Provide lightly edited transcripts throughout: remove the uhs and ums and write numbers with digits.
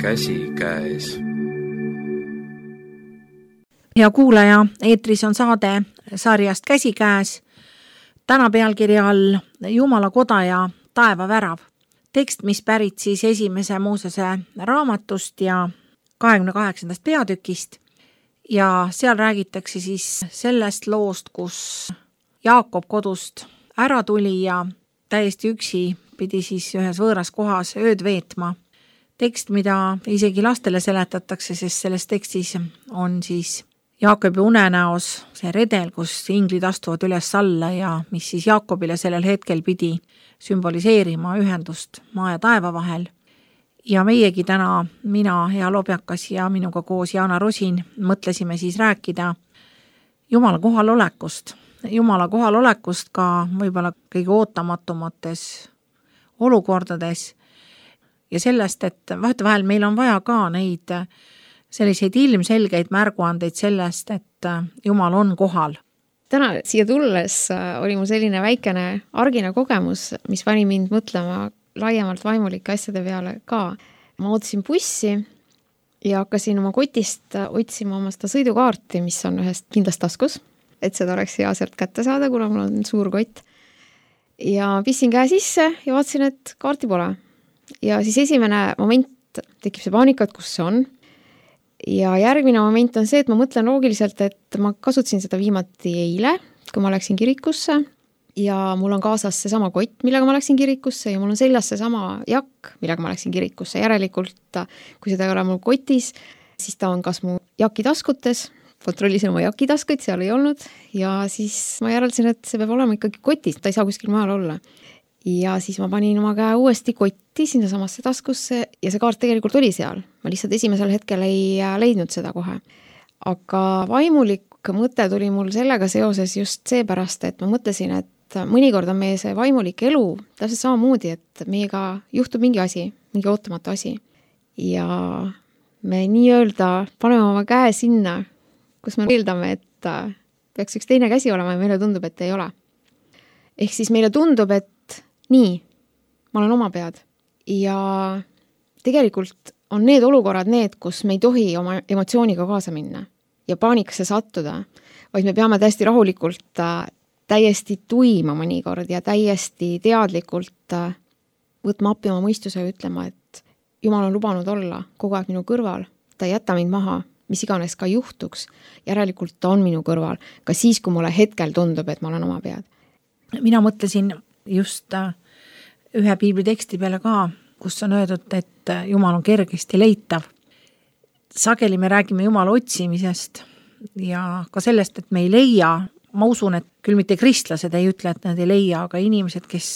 käsikäes. Hea kuulaja, eetris on saade sarjast Käsikäes. Täna pealkirja all Jumala koda ja taevavärav. Tekst, mis pärit siis esimese Moosese raamatust ja 28. peatükist. Ja seal räägitakse siis sellest loost, kus Jaakob kodust ära tuli ja täiesti üksi pidi siis ühes võõras kohas ööd veetma. Tekst, mida isegi lastele seletatakse, sest selles tekstis on siis Jaakobi unenäos see redel, kus inglid astuvad üles alla ja mis siis Jaakobile sellel hetkel pidi sümboliseerima ühendust maa ja taeva vahel. Ja meiegi täna, mina, Hea Lobjakas ja minuga koos Jaana Rosin, mõtlesime siis rääkida Jumala kohalolekust. Jumala kohalolekust ka võib-olla kõige ootamatumates olukordades ja sellest, et vahetevahel meil on vaja ka neid selliseid ilmselgeid märguandeid sellest, et Jumal on kohal. Täna siia tulles oli mul selline väikene argine kogemus, mis pani mind mõtlema laiemalt vaimulike asjade peale ka. Ma ootasin bussi ja hakkasin oma kotist otsima oma seda sõidukaarti, mis on ühest kindlast taskus, et seda oleks hea sealt kätte saada, kuna mul on suur kott. Ja pissin käe sisse ja vaatasin, et kaarti pole. Ja siis esimene moment tekib see paanika, et kus see on. Ja järgmine moment on see, et ma mõtlen loogiliselt, et ma kasutasin seda viimati eile, kui ma läksin kirikusse ja mul on kaasas see sama kott, millega ma läksin kirikusse ja mul on seljas see sama jakk, millega ma läksin kirikusse. Järelikult, kui seda ei ole mul kotis, siis ta on kas mu jakitaskutes, kontrollisin oma jakitaskuid, seal ei olnud ja siis ma järeldasin, et see peab olema ikkagi kotis, ta ei saa kuskil maal olla. Ja siis ma panin oma käe uuesti kotti sinna samasse taskusse ja see kaart tegelikult oli seal. Ma lihtsalt esimesel hetkel ei leidnud seda kohe. Aga vaimulik mõte tuli mul sellega seoses just seepärast, et ma mõtlesin, et mõnikord on meie see vaimulik elu täpselt samamoodi, et meiega juhtub mingi asi, mingi ootamatu asi. Ja me nii-öelda paneme oma käe sinna, kus me eeldame, et peaks üks teine käsi olema ja meile tundub, et ei ole. Ehk siis meile tundub, et nii, ma olen oma pead. Ja tegelikult on need olukorrad need, kus me ei tohi oma emotsiooniga kaasa minna ja paanikasse sattuda, vaid me peame täiesti rahulikult, täiesti tuima mõnikord ja täiesti teadlikult võtma appi oma mõistuse ja ütlema, et Jumal on lubanud olla kogu aeg minu kõrval, ta ei jäta mind maha, mis iganes ka juhtuks, järelikult ta on minu kõrval, ka siis, kui mulle hetkel tundub, et ma olen oma pead. Mina mõtlesin just ühe piibliteksti peale ka, kus on öeldud, et Jumal on kergesti leitav. Sageli me räägime Jumala otsimisest ja ka sellest, et me ei leia. Ma usun, et küll mitte kristlased ei ütle, et nad ei leia, aga inimesed, kes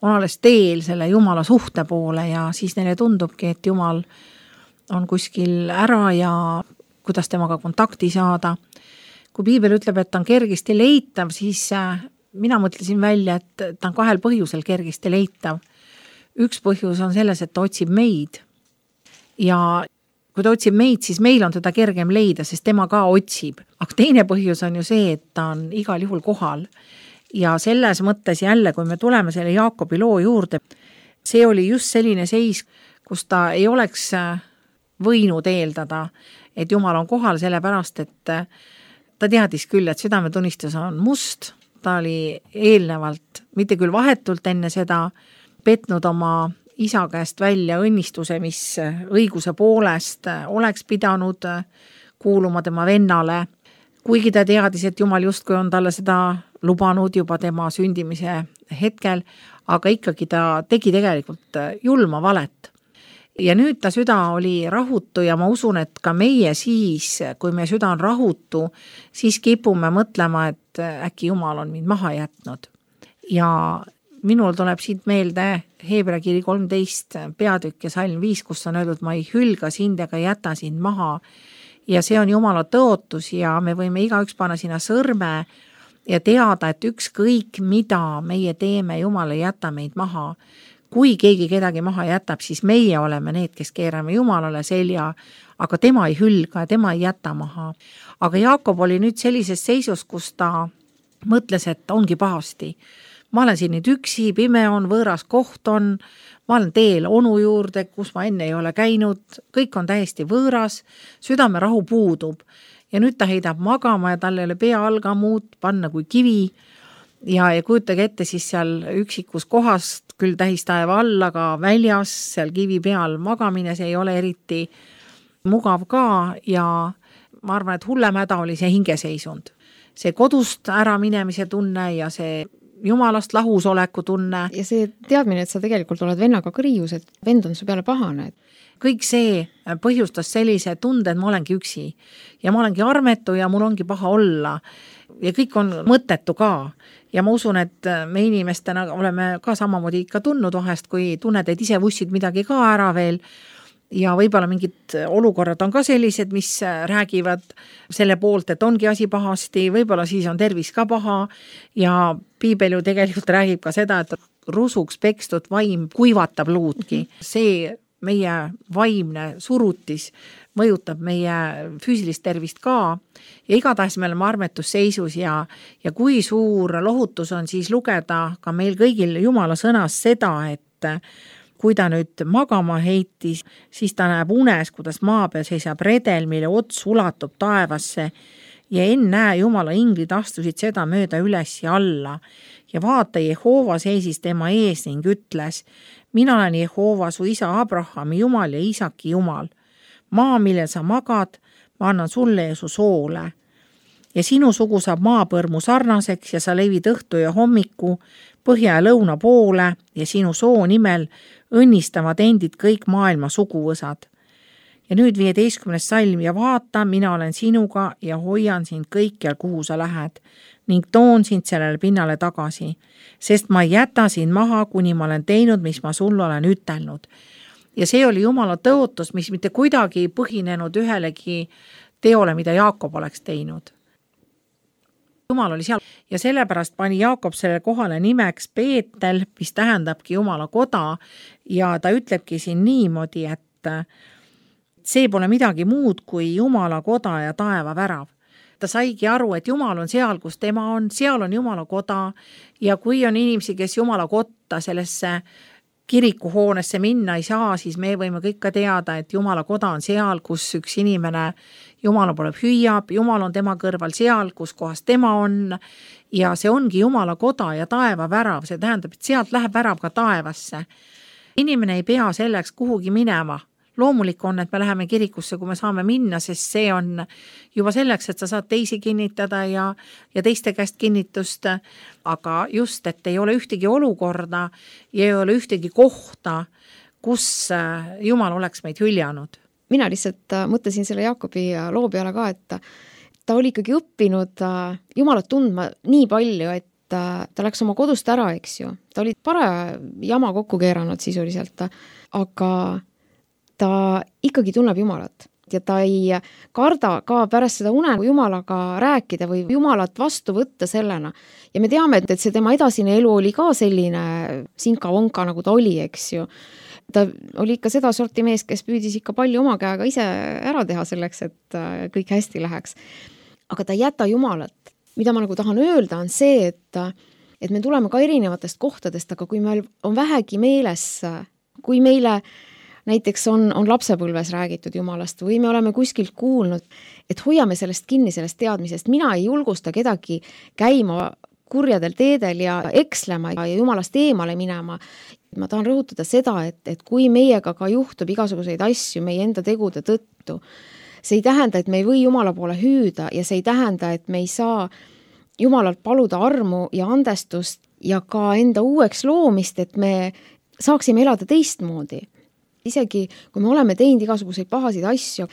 on alles teel selle Jumala suhte poole ja siis neile tundubki, et Jumal on kuskil ära ja kuidas temaga kontakti saada. Kui piibel ütleb, et ta on kergesti leitav, siis mina mõtlesin välja, et ta on kahel põhjusel kergesti leitav. Üks põhjus on selles, et ta otsib meid. Ja kui ta otsib meid, siis meil on teda kergem leida, sest tema ka otsib. Aga teine põhjus on ju see, et ta on igal juhul kohal. Ja selles mõttes jälle, kui me tuleme selle Jaakobi loo juurde, see oli just selline seis, kus ta ei oleks võinud eeldada, et Jumal on kohal sellepärast, et ta teadis küll, et südametunnistus on must. Ta oli eelnevalt, mitte küll vahetult enne seda, petnud oma isa käest välja õnnistuse, mis õiguse poolest oleks pidanud kuuluma tema vennale. Kuigi ta teadis, et Jumal justkui on talle seda lubanud juba tema sündimise hetkel, aga ikkagi ta tegi tegelikult julma valet. Ja nüüd ta süda oli rahutu ja ma usun, et ka meie siis, kui meie süda on rahutu, siis kipume mõtlema, et äkki Jumal on mind maha jätnud. Ja minul tuleb siit meelde Heebrea kiri 13 peatükk ja salm 5, kus on öeldud, ma ei hülga sind ega jäta sind maha. Ja see on Jumala tõotus ja me võime igaüks panna sinna sõrme ja teada, et ükskõik mida meie teeme, Jumal ei jäta meid maha. Kui keegi kedagi maha jätab, siis meie oleme need, kes keerame Jumalale selja, aga tema ei hülga ja tema ei jäta maha. Aga Jaakob oli nüüd sellises seisus, kus ta mõtles, et ongi pahasti. ma olen siin nüüd üksi, pime on, võõras koht on, ma olen teel onu juurde, kus ma enne ei ole käinud, kõik on täiesti võõras, südamerahu puudub ja nüüd ta heidab magama ja tal ei ole pea all ka muud panna kui kivi ja kujutage ette siis seal üksikus kohast, küll tähistaeva all, aga väljas seal kivi peal magamine, see ei ole eriti mugav ka ja ma arvan, et hullem häda oli see hingeseisund. See kodust ära minemise tunne ja see jumalast lahusoleku tunne. Ja see teadmine, et sa tegelikult oled vennaga kriius, et vend on su peale pahane. Kõik see põhjustas sellise tunde, et ma olengi üksi ja ma olengi armetu ja mul ongi paha olla ja kõik on mõttetu ka. Ja ma usun, et me inimestena oleme ka samamoodi ikka tundnud vahest, kui tunned, et ise vussid midagi ka ära veel ja võib-olla mingid olukorrad on ka sellised, mis räägivad selle poolt, et ongi asi pahasti, võib-olla siis on tervis ka paha ja piibel ju tegelikult räägib ka seda, et rusuks pekstud vaim kuivatab luudki. See meie vaimne surutis mõjutab meie füüsilist tervist ka ja igatahes me oleme armetusseisus ja kui suur lohutus on siis lugeda ka meil kõigil Jumala sõnas seda, et kui ta nüüd magama heitis, siis ta näeb unes, kuidas maa peal seisab redel, mille ots ulatub taevasse ja ennäe Jumala inglid astusid seda mööda üles ja alla. Ja vaata, Jehova seisis tema ees ning ütles, mina olen Jehova, su isa Abrahami Jumal ja Isaki Jumal. Maa, millel sa magad, ma annan sulle ja su soole. Ja sinu sugu saab maapõrmu sarnaseks ja sa levid õhtu ja hommiku põhja ja lõuna poole ja sinu soo nimel õnnistavad endid kõik maailma suguvõsad. Ja nüüd 15. salm ja vaata, mina olen sinuga ja hoian sind kõikjal, kuhu sa lähed ning toon sind sellele pinnale tagasi, sest ma ei jäta sind maha, kuni ma olen teinud, mis ma sulle olen ütelnud. Ja see oli Jumala tõotus, mis mitte kuidagi põhinenud ühelegi teole, mida Jaakob oleks teinud. Jumal oli seal ja sellepärast pani Jaakob selle kohale nimeks Peetel, mis tähendabki Jumala koda ja ta ütlebki siin niimoodi, et see pole midagi muud kui Jumala koda ja taeva värav. Ta saigi aru, et Jumal on seal, kus tema on, seal on Jumala koda ja kui on inimesi, kes Jumala kotta sellesse kirikuhoonesse minna ei saa, siis me võime kõik ka teada, et Jumala koda on seal, kus üks inimene Jumala poole hüüab, Jumal on tema kõrval seal, kus kohas tema on ja see ongi Jumala koda ja taeva värav, see tähendab, et sealt läheb värav ka taevasse. Inimene ei pea selleks kuhugi minema. Loomulik on, et me läheme kirikusse, kui me saame minna, sest see on juba selleks, et sa saad teisi kinnitada ja teiste käest kinnitust, aga just, et ei ole ühtegi olukorda ja ei ole ühtegi kohta, kus Jumal oleks meid hüljanud. Mina lihtsalt mõtlesin selle Jaakobi loo peale ka, et ta oli ikkagi õppinud Jumalat tundma nii palju, et ta läks oma kodust ära, eks ju. Ta oli paraja jama kokku keeranud sisuliselt, aga ta ikkagi tunneb Jumalat ja ta ei karda ka pärast seda une Jumalaga rääkida või Jumalat vastu võtta sellena. Ja me teame, et see tema edasine elu oli ka selline sinka-vonka, nagu ta oli, eks ju. Ta oli ikka seda sorti mees, kes püüdis ikka palju oma käega ise ära teha selleks, et kõik hästi läheks. Aga ta ei jäta Jumalat. Mida ma nagu tahan öelda on see, et me tuleme ka erinevatest kohtadest, aga kui meil on vähegi meeles, kui meile näiteks on lapsepõlves räägitud Jumalast või me oleme kuskilt kuulnud, et hoiame sellest kinni, sellest teadmisest. Mina ei julgusta kedagi käima kurjadel teedel ja ekslema ja Jumalast eemale minema. Ma tahan rõhutada seda, et kui meiega ka juhtub igasuguseid asju meie enda tegude tõttu, see ei tähenda, et me ei või Jumala poole hüüda ja see ei tähenda, et me ei saa Jumalalt paluda armu ja andestust ja ka enda uueks loomist, et me saaksime elada teistmoodi. Isegi kui me oleme teinud igasuguseid pahasid asju,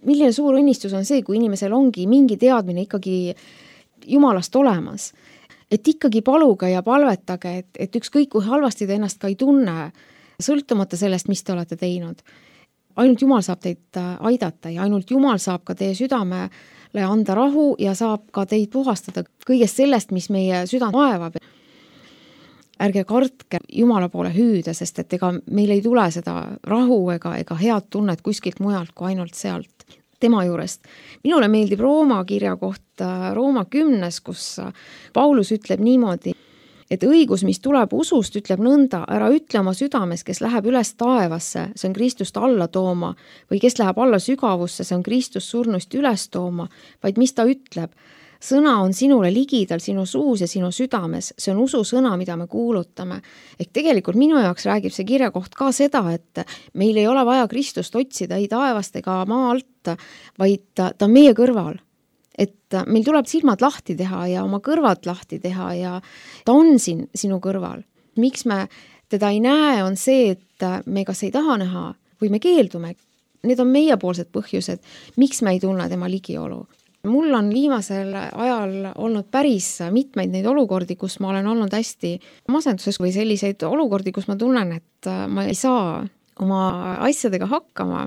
milline suur õnnistus on see, kui inimesel ongi mingi teadmine ikkagi Jumalast olemas. Et ikkagi paluge ja palvetage, et ükskõik kui halvasti te ennast ka ei tunne, sõltumata sellest, mis te olete teinud. Ainult Jumal saab teid aidata ja ainult Jumal saab ka teie südamele anda rahu ja saab ka teid puhastada kõigest sellest, mis meie süda vaevab. Ärge kartke Jumala poole hüüda, sest et ega meil ei tule seda rahu ega head tunnet kuskilt mujalt kui ainult sealt, tema juurest. Minule meeldib Rooma kirja kohta Rooma 10, kus Paulus ütleb niimoodi, et õigus, mis tuleb usust, ütleb nõnda, ära ütle oma südames, kes läheb üles taevasse, see on Kristust alla tooma, või kes läheb alla sügavusse, see on Kristus surnust üles tooma, vaid mis ta ütleb. Sõna on sinule ligidal, sinu suus ja sinu südames, see on usu sõna, mida me kuulutame. Ehk tegelikult minu jaoks räägib see kirjakoht ka seda, et meil ei ole vaja Kristust otsida ei taevast ega maa alt, vaid ta on meie kõrval. Et meil tuleb silmad lahti teha ja oma kõrvad lahti teha ja ta on siin sinu kõrval. Miks me teda ei näe, on see, et me kas ei taha näha või me keeldume. Need on meiepoolsed põhjused, miks me ei tunne tema ligiolu. Mul on viimasel ajal olnud päris mitmeid neid olukordi, kus ma olen olnud hästi masenduses või selliseid olukordi, kus ma tunnen, et ma ei saa oma asjadega hakkama,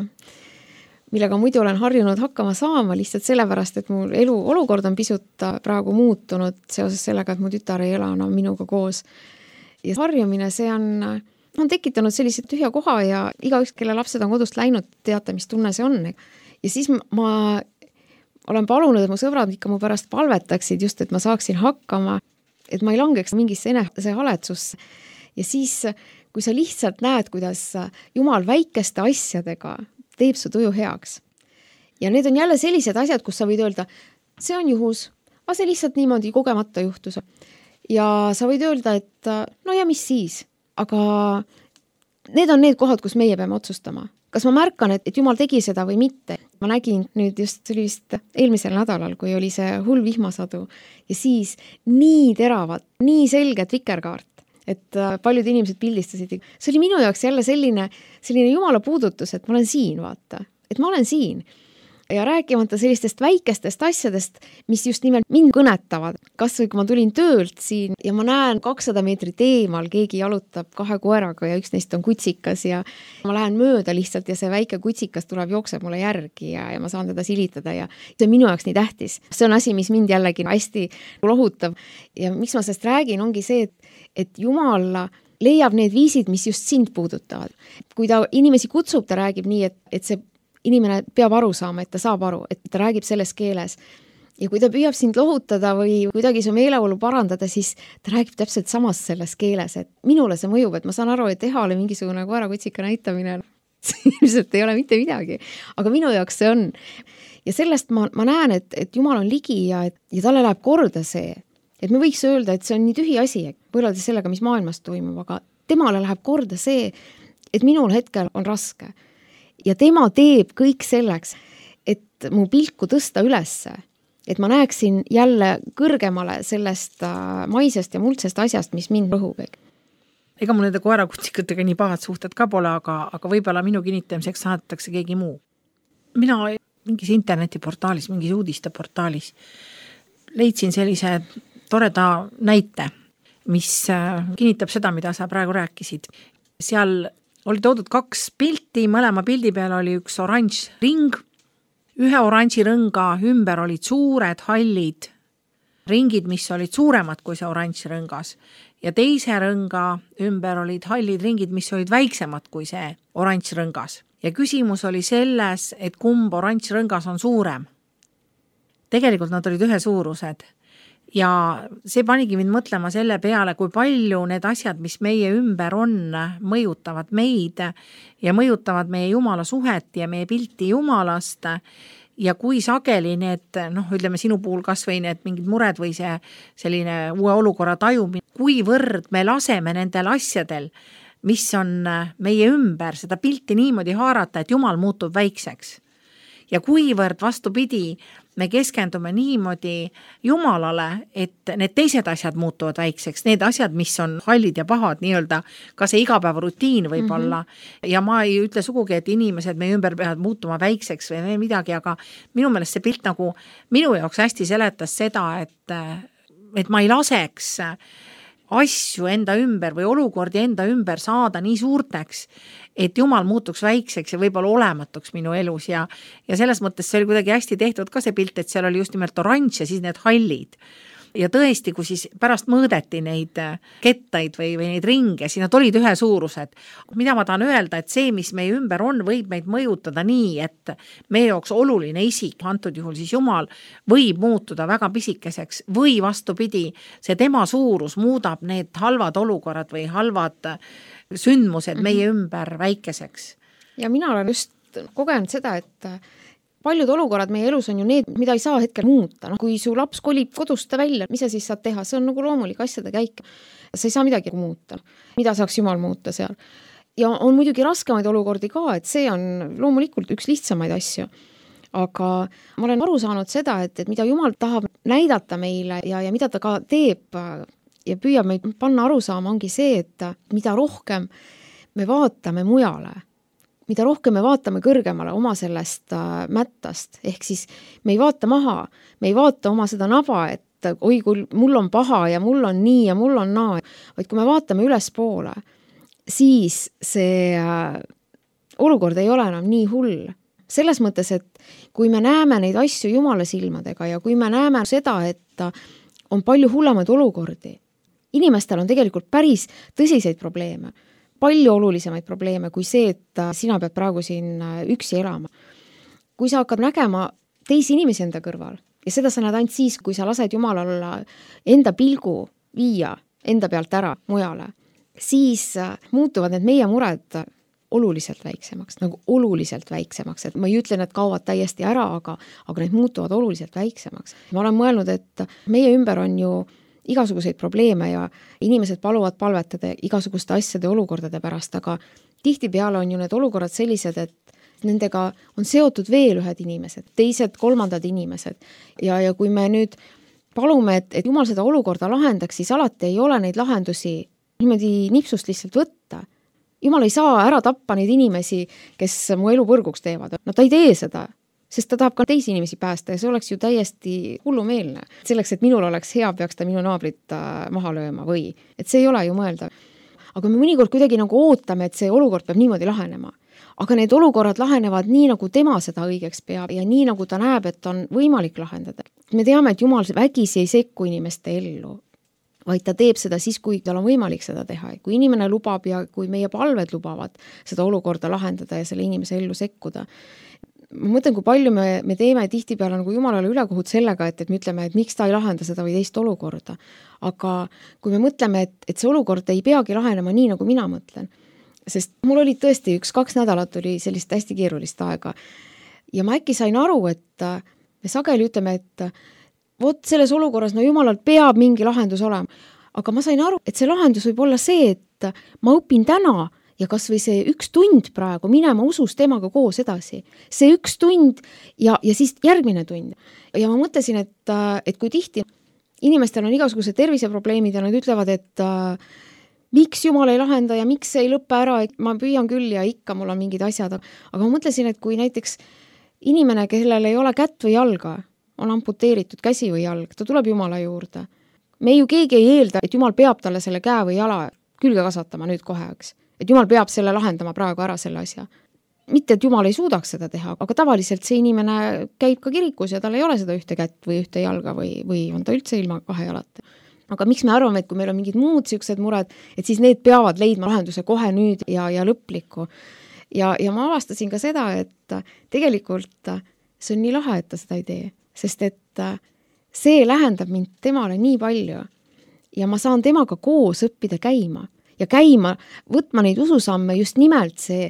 millega muidu olen harjunud hakkama saama lihtsalt sellepärast, et mu elu olukord on pisut praegu muutunud seoses sellega, et mu tütar ei ela enam minuga koos. Ja harjumine, see on tekitanud sellise tühja koha ja igaüks, kelle lapsed on kodust läinud, teate, mis tunne see on. Ja siis ma olen palunud, et mu sõbrad ikka mu pärast palvetaksid just, et ma saaksin hakkama, et ma ei langeks mingisse enesehaletsusse. Ja siis, kui sa lihtsalt näed, kuidas Jumal väikeste asjadega teeb su tuju heaks. Ja need on jälle sellised asjad, kus sa võid öelda, see on juhus, aga see lihtsalt niimoodi kogemata juhtus. Ja sa võid öelda, et no ja mis siis, aga need on need kohad, kus meie peame otsustama. Kas ma märkan, et Jumal tegi seda või mitte? Ma nägin nüüd just sellist eelmisel nädalal, kui oli see hull vihmasadu ja siis nii teravat, nii selget vikerkaart, et paljud inimesed pildistasid. See oli minu jaoks jälle selline Jumala puudutus, et ma olen siin, vaata, et ma olen siin. Ja rääkimata sellistest väikestest asjadest, mis just nimelt mind kõnetavad. Kas või kui ma tulin töölt siin ja ma näen 200 meetrit eemal, keegi jalutab 2 koeraga ja üks neist on kutsikas ja ma lähen mööda lihtsalt ja see väike kutsikas tuleb jookseb mulle järgi ja ma saan teda silitada ja see on minu jaoks nii tähtis. See on asi, mis mind jällegi hästi lohutab ja miks ma sellest räägin, ongi see, et Jumal leiab need viisid, mis just sind puudutavad. Kui ta inimesi kutsub, ta räägib nii, et see inimene peab aru saama, et ta saab aru, et ta räägib selles keeles. Ja kui ta püüab sind lohutada või kuidagi su meeleolu parandada, siis ta räägib täpselt samas selles keeles, et minule see mõjub, et ma saan aru, et Ehale mingisugune koerakutsika näitamine ilmselt ei ole mitte midagi, aga minu jaoks see on. Ja sellest ma näen, et Jumal on ligi ja talle läheb korda see, et me võiks öelda, et see on nii tühi asi, võrreldes sellega, mis maailmas toimub, aga temale läheb korda see, et minul hetkel on raske. Ja tema teeb kõik selleks, et mu pilku tõsta ülesse, et ma näeksin jälle kõrgemale sellest maisest ja muldsest asjast, mis mind rõhub. Ega mul nende koerakutsikatega nii pahad suhted ka pole, aga võib-olla minu kinnitamiseks saadetakse keegi muu. Mina mingis internetiportaalis, mingis uudisteportaalis leidsin sellise toreda näite, mis kinnitab seda, mida sa praegu rääkisid. Seal oli toodud 2 pilti, mõlema pildi peal oli üks oranž ring, ühe oranži rõnga ümber olid suured hallid ringid, mis olid suuremad kui see oranž rõngas ja teise rõnga ümber olid hallid ringid, mis olid väiksemad kui see oranž rõngas. Ja küsimus oli selles, et kumb oranž rõngas on suurem. Tegelikult nad olid ühesuurused. Ja see panigi mind mõtlema selle peale, kui palju need asjad, mis meie ümber on, mõjutavad meid ja mõjutavad meie Jumala suhet ja meie pilti Jumalast ja kui sageli need, ütleme sinu puhul kas või need mingid mured või see selline uue olukorra tajumine, kuivõrd me laseme nendel asjadel, mis on meie ümber, seda pilti niimoodi haarata, et Jumal muutub väikseks. Ja kuivõrd vastupidi, me keskendume niimoodi Jumalale, et need teised asjad muutuvad väikseks, need asjad, mis on hallid ja pahad, nii-öelda ka see igapäeva rutiin võib olla. Ja ma ei ütle sugugi, et inimesed meie ümber peavad muutuma väikseks või midagi, aga minu meelest see pilt nagu minu jaoks hästi seletas seda, et ma ei laseks asju enda ümber või olukordi enda ümber saada nii suurteks, et Jumal muutuks väikseks ja võib-olla olematuks minu elus ja selles mõttes see oli kuidagi hästi tehtud ka see pilt, et seal oli just nimelt oranž ja siis need hallid. ja tõesti, kui siis pärast mõõdeti neid kettaid või neid ringe, siis nad olid ühesuurused. Mida ma tahan öelda, et see, mis meie ümber on, võib meid mõjutada nii, et meie jaoks oluline isik, antud juhul siis Jumal, võib muutuda väga pisikeseks või vastupidi, see tema suurus muudab need halvad olukorrad või halvad sündmused meie ümber väikeseks. Ja mina olen just kogenud seda, et paljud olukorrad meie elus on ju need, mida ei saa hetkel muuta. No, kui su laps kolib kodust välja, mis sa siis saad teha? See on nagu loomulik asjade käik. Sa ei saa midagi muuta. Mida saaks Jumal muuta seal? Ja on muidugi raskemaid olukordi ka, et see on loomulikult üks lihtsamaid asju. Aga ma olen aru saanud seda, et mida Jumal tahab näidata meile ja mida ta ka teeb ja püüab meid panna aru saama, ongi see, et mida rohkem me vaatame mujale, mida rohkem me vaatame kõrgemale oma sellest mättast, ehk siis me ei vaata maha, me ei vaata oma seda naba, et oi, kui mul on paha ja mul on nii ja mul on naa, vaid kui me vaatame ülespoole, siis see olukord ei ole enam nii hull. Selles mõttes, et kui me näeme neid asju Jumala silmadega ja kui me näeme seda, et on palju hullemaid olukordi, inimestel on tegelikult päris tõsiseid probleeme, palju olulisemaid probleeme kui see, et sina pead praegu siin üksi elama. Kui sa hakkad nägema teisi inimesi enda kõrval ja seda sa näed ainult siis, kui sa lased Jumalal enda pilgu viia enda pealt ära mujale, siis muutuvad need meie mured oluliselt väiksemaks, nagu oluliselt väiksemaks, et ma ei ütle, et kaovad täiesti ära, aga need muutuvad oluliselt väiksemaks. Ma olen mõelnud, et meie ümber on ju igasuguseid probleeme ja inimesed paluvad palvetada igasuguste asjade olukordade pärast, aga tihtipeale on ju need olukorrad sellised, et nendega on seotud veel ühed inimesed, teised, kolmandad inimesed. Ja kui me nüüd palume, et Jumal seda olukorda lahendaks, siis alati ei ole neid lahendusi niimoodi nipsust lihtsalt võtta. Jumal ei saa ära tappa neid inimesi, kes mu elu põrguks teevad. No ta ei tee seda, sest ta tahab ka teisi inimesi päästa ja see oleks ju täiesti hullumeelne. Selleks, et minul oleks hea, peaks ta minu naabrit maha lööma või. Et see ei ole ju mõelda. Aga me mõnikord kuidagi nagu ootame, et see olukord peab niimoodi lahenema. Aga need olukorrad lahenevad nii, nagu tema seda õigeks peab ja nii, nagu ta näeb, et on võimalik lahendada. Me teame, et Jumal vägisi ei sekku inimeste ellu, vaid ta teeb seda siis, kui tal on võimalik seda teha. Kui inimene lubab ja kui meie palved lubavad seda olukorda lahendada ja selle inimese ellu sekkuda. Ma mõtlen, kui palju me teeme tihtipeale nagu Jumalale ülekohut sellega, et me ütleme, et miks ta ei lahenda seda või teist olukorda. Aga kui me mõtleme, et see olukord ei peagi lahenema nii, nagu mina mõtlen, sest mul oli tõesti 1-2 nädalat oli sellist hästi keerulist aega ja ma äkki sain aru, et me sageli ütleme, et vot selles olukorras, no Jumalal peab mingi lahendus olema. Aga ma sain aru, et see lahendus võib olla see, et ma õpin täna ja kas või see 1 tund praegu minema usus temaga koos edasi. See 1 tund ja siis järgmine tund. Ja ma mõtlesin, et kui tihti inimestel on igasugused terviseprobleemid ja nad ütlevad, et miks Jumal ei lahenda ja miks see ei lõppe ära, et ma püüan küll ja ikka mul on mingid asjad. Aga ma mõtlesin, et kui näiteks inimene, kellel ei ole kätt või jalga, on amputeeritud käsi või jalg, ta tuleb Jumala juurde. Me ju keegi ei eelda, et Jumal peab talle selle käe või jala külge kasvatama nüüd kohe, eks. Et Jumal peab selle lahendama praegu ära selle asja. Mitte, et Jumal ei suudaks seda teha, aga tavaliselt see inimene käib ka kirikus ja tal ei ole seda 1 kätt või 1 jalga või on ta üldse ilma 2 jalata. Aga miks me arvame, et kui meil on mingid muud siuksed mured, et siis need peavad leidma lahenduse kohe nüüd ja lõplikku. Ja ma avastasin ka seda, et tegelikult see on nii lahe, et ta seda ei tee. Sest et see lähendab mind temale nii palju ja ma saan temaga koos õppida käima ja võtma neid ususamme just nimelt see,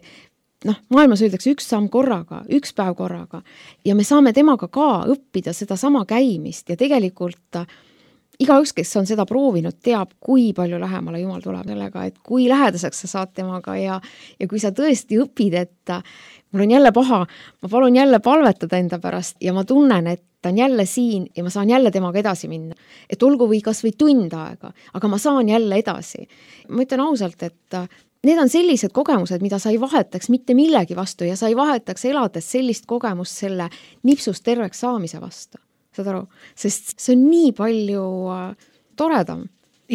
maailmas öeldakse 1 samm korraga, 1 päev korraga ja me saame temaga ka õppida seda sama käimist ja tegelikult igaüks, kes on seda proovinud, teab, kui palju lähemale Jumal tuleb sellega, et kui lähedaseks sa saad temaga ja kui sa tõesti õpid, et mul on jälle paha, ma palun jälle palvetada enda pärast ja ma tunnen, et ta on jälle siin ja ma saan jälle temaga edasi minna. Et olgu või kas või tund aega, aga ma saan jälle edasi. Ma ütlen ausalt, et need on sellised kogemused, mida sa ei vahetaks mitte millegi vastu ja sa ei vahetaks elades sellist kogemust selle nipsust terveks saamise vastu. Saad aru? Sest see on nii palju toredam.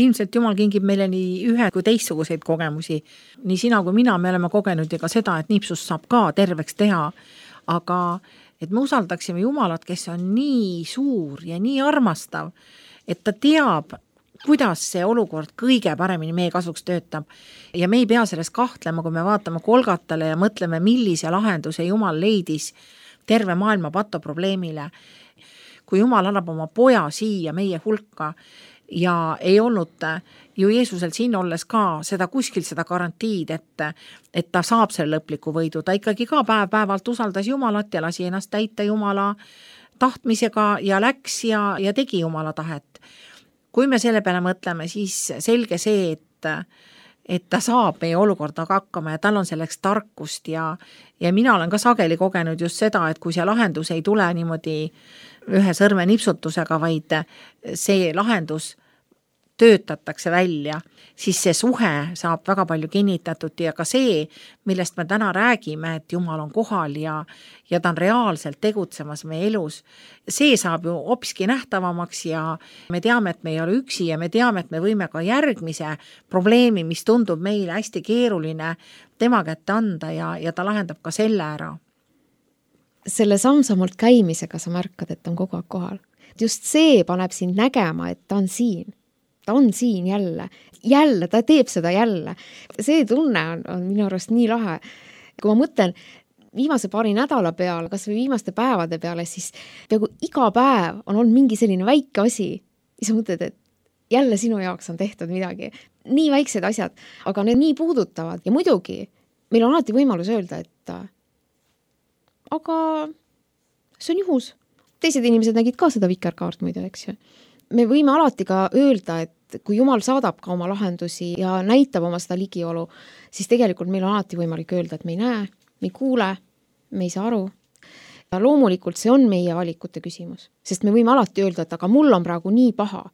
Ilmselt Jumal kingib meile nii ühe kui teistsuguseid kogemusi. Nii sina kui mina me oleme kogenud ja ka seda, et nipsust saab ka terveks teha, aga et me usaldaksime Jumalat, kes on nii suur ja nii armastav, et ta teab, kuidas see olukord kõige paremini meie kasuks töötab. Ja me ei pea selles kahtlema, kui me vaatame Golgatale ja mõtleme, millise lahenduse Jumal leidis terve maailma patoprobleemile. Kui Jumal annab oma poja siia meie hulka ja ei olnud ju Jeesusel siin olles ka seda kuskil seda garantiid, et ta saab selle lõpliku võidu. Ta ikkagi ka päev-päevalt usaldas Jumalat ja lasi ennast täita Jumala tahtmisega ja läks ja tegi Jumala tahet. Kui me selle peale mõtleme, siis selge see, et ta saab meie olukordaga hakkama ja tal on selleks tarkust ja mina olen ka sageli kogenud just seda, et kui see lahendus ei tule niimoodi ühe sõrme nipsutusega, vaid see lahendus töötatakse välja, siis see suhe saab väga palju kinnitatud ja ka see, millest me täna räägime, et Jumal on kohal ja ta on reaalselt tegutsemas meie elus, see saab ju hoopiski nähtavamaks ja me teame, et me ei ole üksi ja me teame, et me võime ka järgmise probleemi, mis tundub meile hästi keeruline, tema kätte anda ja ta lahendab ka selle ära. Selle samm-sammult käimisega sa märkad, et on kogu aeg kohal. Just see paneb sind nägema, et ta on siin. Ta on siin jälle, ta teeb seda jälle. See tunne on minu arust nii lahe. Kui ma mõtlen viimase paari nädala peale, kas või viimaste päevade peale, siis peaaegu iga päev on olnud mingi selline väike asi. Ja sa mõtled, et jälle sinu jaoks on tehtud midagi. Nii väiksed asjad, aga need nii puudutavad. Ja muidugi, meil on alati võimalus öelda, et aga see on juhus. Teised inimesed nägid ka seda vikerkaart muide, eks ju. Me võime alati ka öelda, et kui Jumal saadab ka oma lahendusi ja näitab oma seda ligiolu, siis tegelikult meil on alati võimalik öelda, et me ei näe, me ei kuule, me ei saa aru. Ja loomulikult see on meie valikute küsimus, sest me võime alati öelda, et aga mul on praegu nii paha.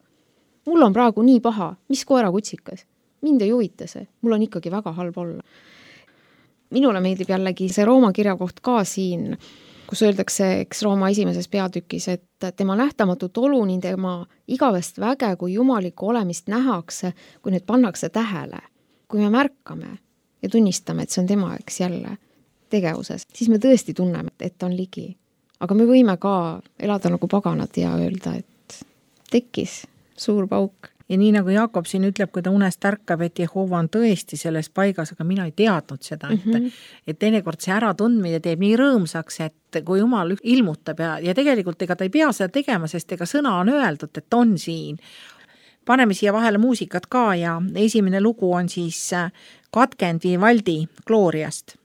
Mul on praegu nii paha, mis koera kutsikas? Mind ei huvita see, mul on ikkagi väga halb olla. Minule meeldib jällegi see Rooma kirjakoht ka siin, kus öeldakse, eks Rooma esimeses peatükis, et tema nähtamatut olu nii tema igavest väge kui jumalikku olemist nähakse, kui need pannakse tähele. Kui me märkame ja tunnistame, et see on tema eks jälle tegevuses, siis me tõesti tunneme, et on ligi. Aga me võime ka elada nagu paganad ja öelda, et tekkis suur pauk. Ja nii nagu Jakob siin ütleb, kui ta unest ärkab, et Jehova on tõesti selles paigas, aga mina ei teadnud seda, et teinekord see äratundmine teeb nii rõõmsaks, et kui Jumal ilmutab ja tegelikult ega ta ei pea seda tegema, sest ega sõna on öeldud, et on siin. Paneme siia vahele muusikat ka ja esimene lugu on siis Katkend Vivaldi Gloriast.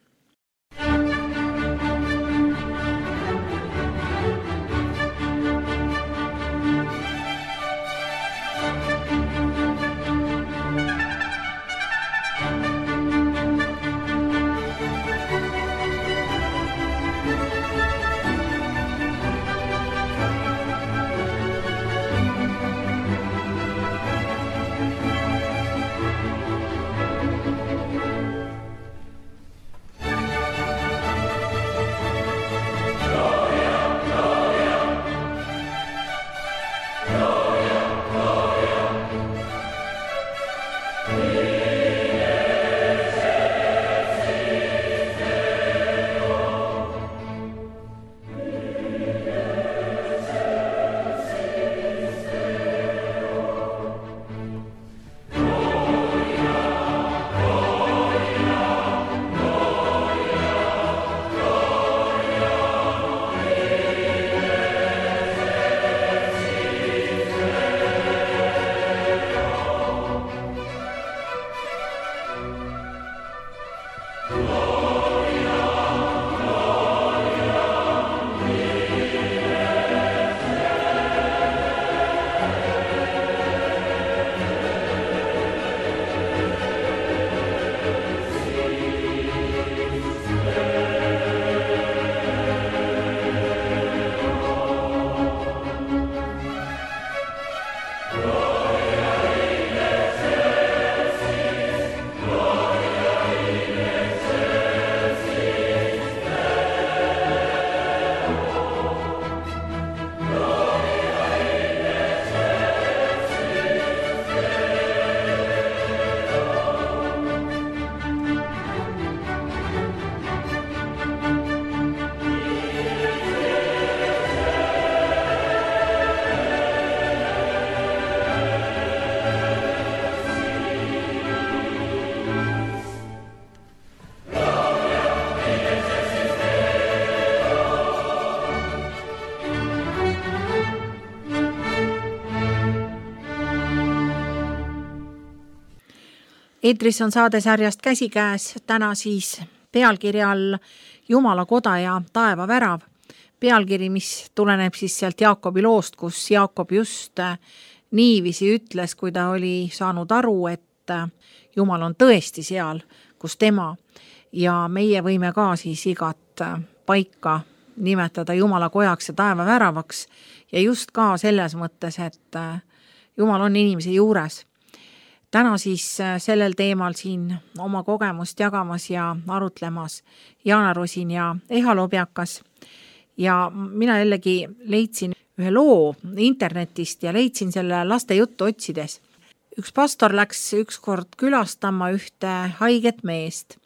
Eetris on saadesarjast Käsikäes, täna siis pealkirja all Jumala koda ja taeva värav. Pealkiri, mis tuleneb siis sealt Jaakobi loost, kus Jaakob just niiviisi ütles, kui ta oli saanud aru, et Jumal on tõesti seal, kus tema, ja meie võime ka siis igat paika nimetada Jumala kojaks ja taeva väravaks ja just ka selles mõttes, et Jumal on inimese juures. Täna siis sellel teemal siin oma kogemust jagamas ja arutlemas Jaana Rosin ja Eha Lobjakas. Ja mina jällegi leidsin ühe loo internetist ja leidsin selle laste juttu otsides. Üks pastor läks ükskord külastama ühte haiget meest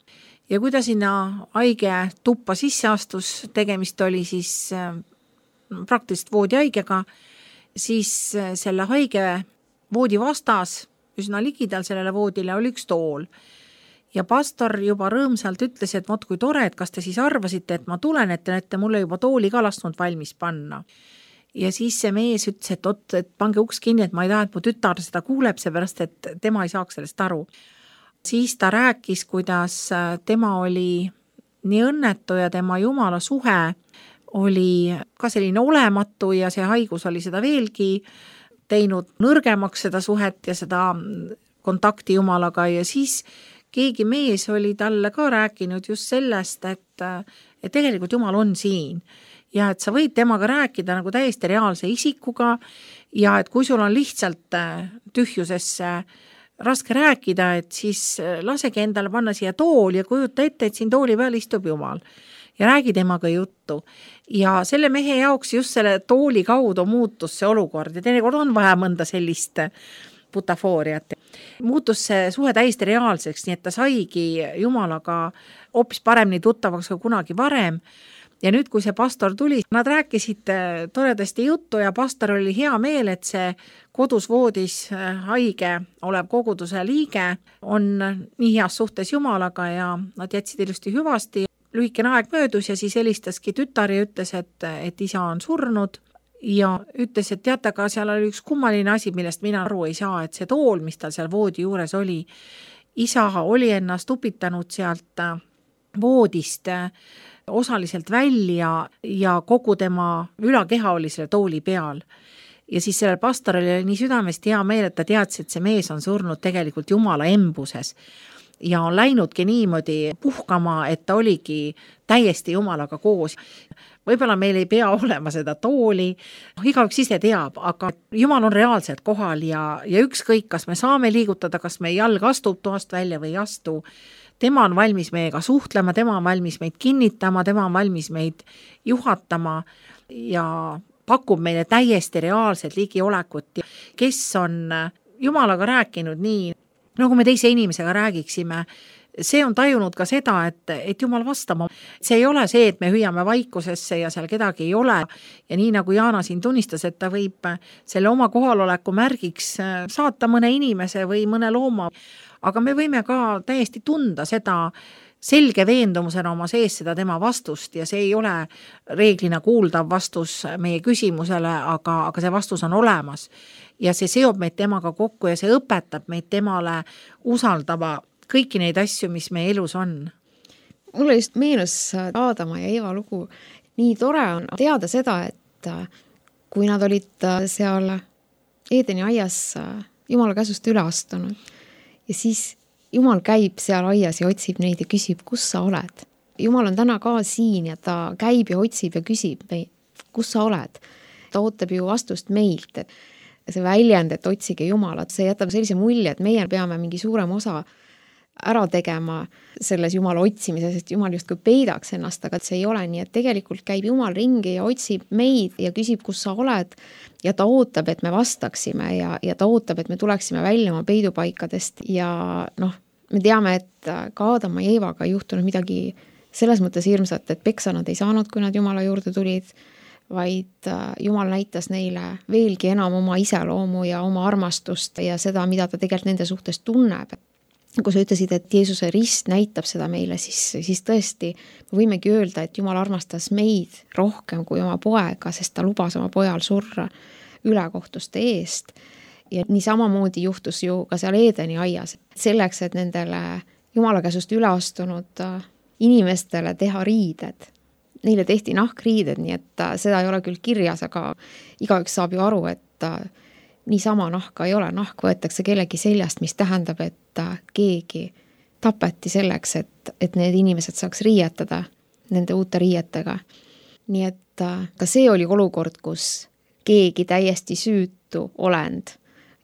ja kui ta sinna haige tuppa sisse astus, tegemist oli siis praktiliselt voodihaigega, siis selle haige voodi vastas üsna ligidal sellele voodile oli üks tool. Ja pastor juba rõõmsalt ütles, et vot kui tore, et kas te siis arvasite, et ma tulen, et te olete mulle juba tooli ka lasknud valmis panna. Ja siis see mees ütles, et pange uks kinni, et ma ei taha, et mu tütar seda kuuleb, seepärast, et tema ei saaks sellest aru. Siis ta rääkis, kuidas tema oli nii õnnetu ja tema Jumala suhe oli ka selline olematu ja see haigus oli seda veelgi teinud nõrgemaks seda suhet ja seda kontakti Jumalaga ja siis keegi mees oli talle ka rääkinud just sellest, et tegelikult Jumal on siin ja et sa võid temaga rääkida nagu täiesti reaalse isikuga ja et kui sul on lihtsalt tühjusesse raske rääkida, et siis lasegi endale panna siia tool ja kujuta ette, et siin tooli peal istub Jumal ja räägi temaga juttu. Ja selle mehe jaoks just selle tooli kaudu muutus see olukord ja teinekord on vaja mõnda sellist butafooriat. Muutus see suhe täiesti reaalseks, nii et ta saigi Jumalaga hoopis paremini tuttavaks kui kunagi varem. Ja nüüd, kui see pastor tuli, nad rääkisid toredasti juttu ja pastor oli hea meel, et see kodus voodis haige olev koguduse liige on nii heas suhtes Jumalaga ja nad jätsid ilusti hüvasti. Lühikene aeg möödus ja siis helistaski tütar ja ütles, et isa on surnud ja ütles, et teate, aga seal oli üks kummaline asi, millest mina aru ei saa, et see tool, mis tal seal voodi juures oli, isa oli ennast upitanud sealt voodist osaliselt välja ja kogu tema ülakeha oli selle tooli peal. Ja siis sellel pastoril oli nii südamest hea meel, et ta teadis, et see mees on surnud tegelikult Jumala embuses. Ja on läinudki niimoodi puhkama, et ta oligi täiesti Jumalaga koos. Võib-olla meil ei pea olema seda tooli, igaüks ise teab, aga Jumal on reaalselt kohal ja ükskõik, kas me saame liigutada, kas meie jalg astub toast välja või ei astu. Tema on valmis meiega suhtlema, tema on valmis meid kinnitama, tema on valmis meid juhatama ja pakub meile täiesti reaalset ligiolekut, kes on Jumalaga rääkinud nii, nagu me teise inimesega räägiksime, see on tajunud ka seda, et Jumal vastama. See ei ole see, et me hüüame vaikusesse ja seal kedagi ei ole. Ja nii nagu Jaana siin tunnistas, et ta võib selle oma kohaloleku märgiks saata mõne inimese või mõne looma. Aga me võime ka täiesti tunda seda selge veendumusena oma sees seda tema vastust ja see ei ole reeglina kuuldav vastus meie küsimusele, aga see vastus on olemas. Ja see seob meid temaga kokku ja see õpetab meid temale usaldama kõiki neid asju, mis meie elus on. Mulle just meenus Aadama ja Eeva lugu. Nii tore on teada seda, et kui nad olid seal Eedeni aias Jumala käsust üle astunud ja siis Jumal käib seal aias ja otsib neid ja küsib, kus sa oled. Jumal on täna ka siin ja ta käib ja otsib ja küsib, kus sa oled. Ta ootab ju vastust meilt, et see väljend, et otsige Jumalat, see jätab sellise mulje, et meie peame mingi suurem osa ära tegema selles Jumala otsimises, sest Jumal justkui peidaks ennast, aga see ei ole nii, et tegelikult käib Jumal ringi ja otsib meid ja küsib, kus sa oled ja ta ootab, et me vastaksime ja ta ootab, et me tuleksime välja oma peidupaikadest ja me teame, et ka Aadama ja Eevaga ei juhtunud midagi selles mõttes hirmsat, et peksa nad ei saanud, kui nad Jumala juurde tulid, vaid Jumal näitas neile veelgi enam oma iseloomu ja oma armastust ja seda, mida ta tegelikult nende suhtes tunneb. Kui sa ütlesid, et Jeesuse rist näitab seda meile, siis tõesti me võimegi öelda, et Jumal armastas meid rohkem kui oma poega, sest ta lubas oma pojal surra ülekohtuste eest. ja nii samamoodi juhtus ju ka seal Eedeni aias. Selleks, et nendele Jumala käsust üle astunud inimestele teha riided. Neile tehti nahkriided, nii et seda ei ole küll kirjas, aga igaüks saab ju aru, et niisama nahka ei ole. Nahk võetakse kellegi seljast, mis tähendab, et keegi tapeti selleks, et need inimesed saaks riietada nende uute riietega. Nii et ka see oli olukord, kus keegi täiesti süütu olend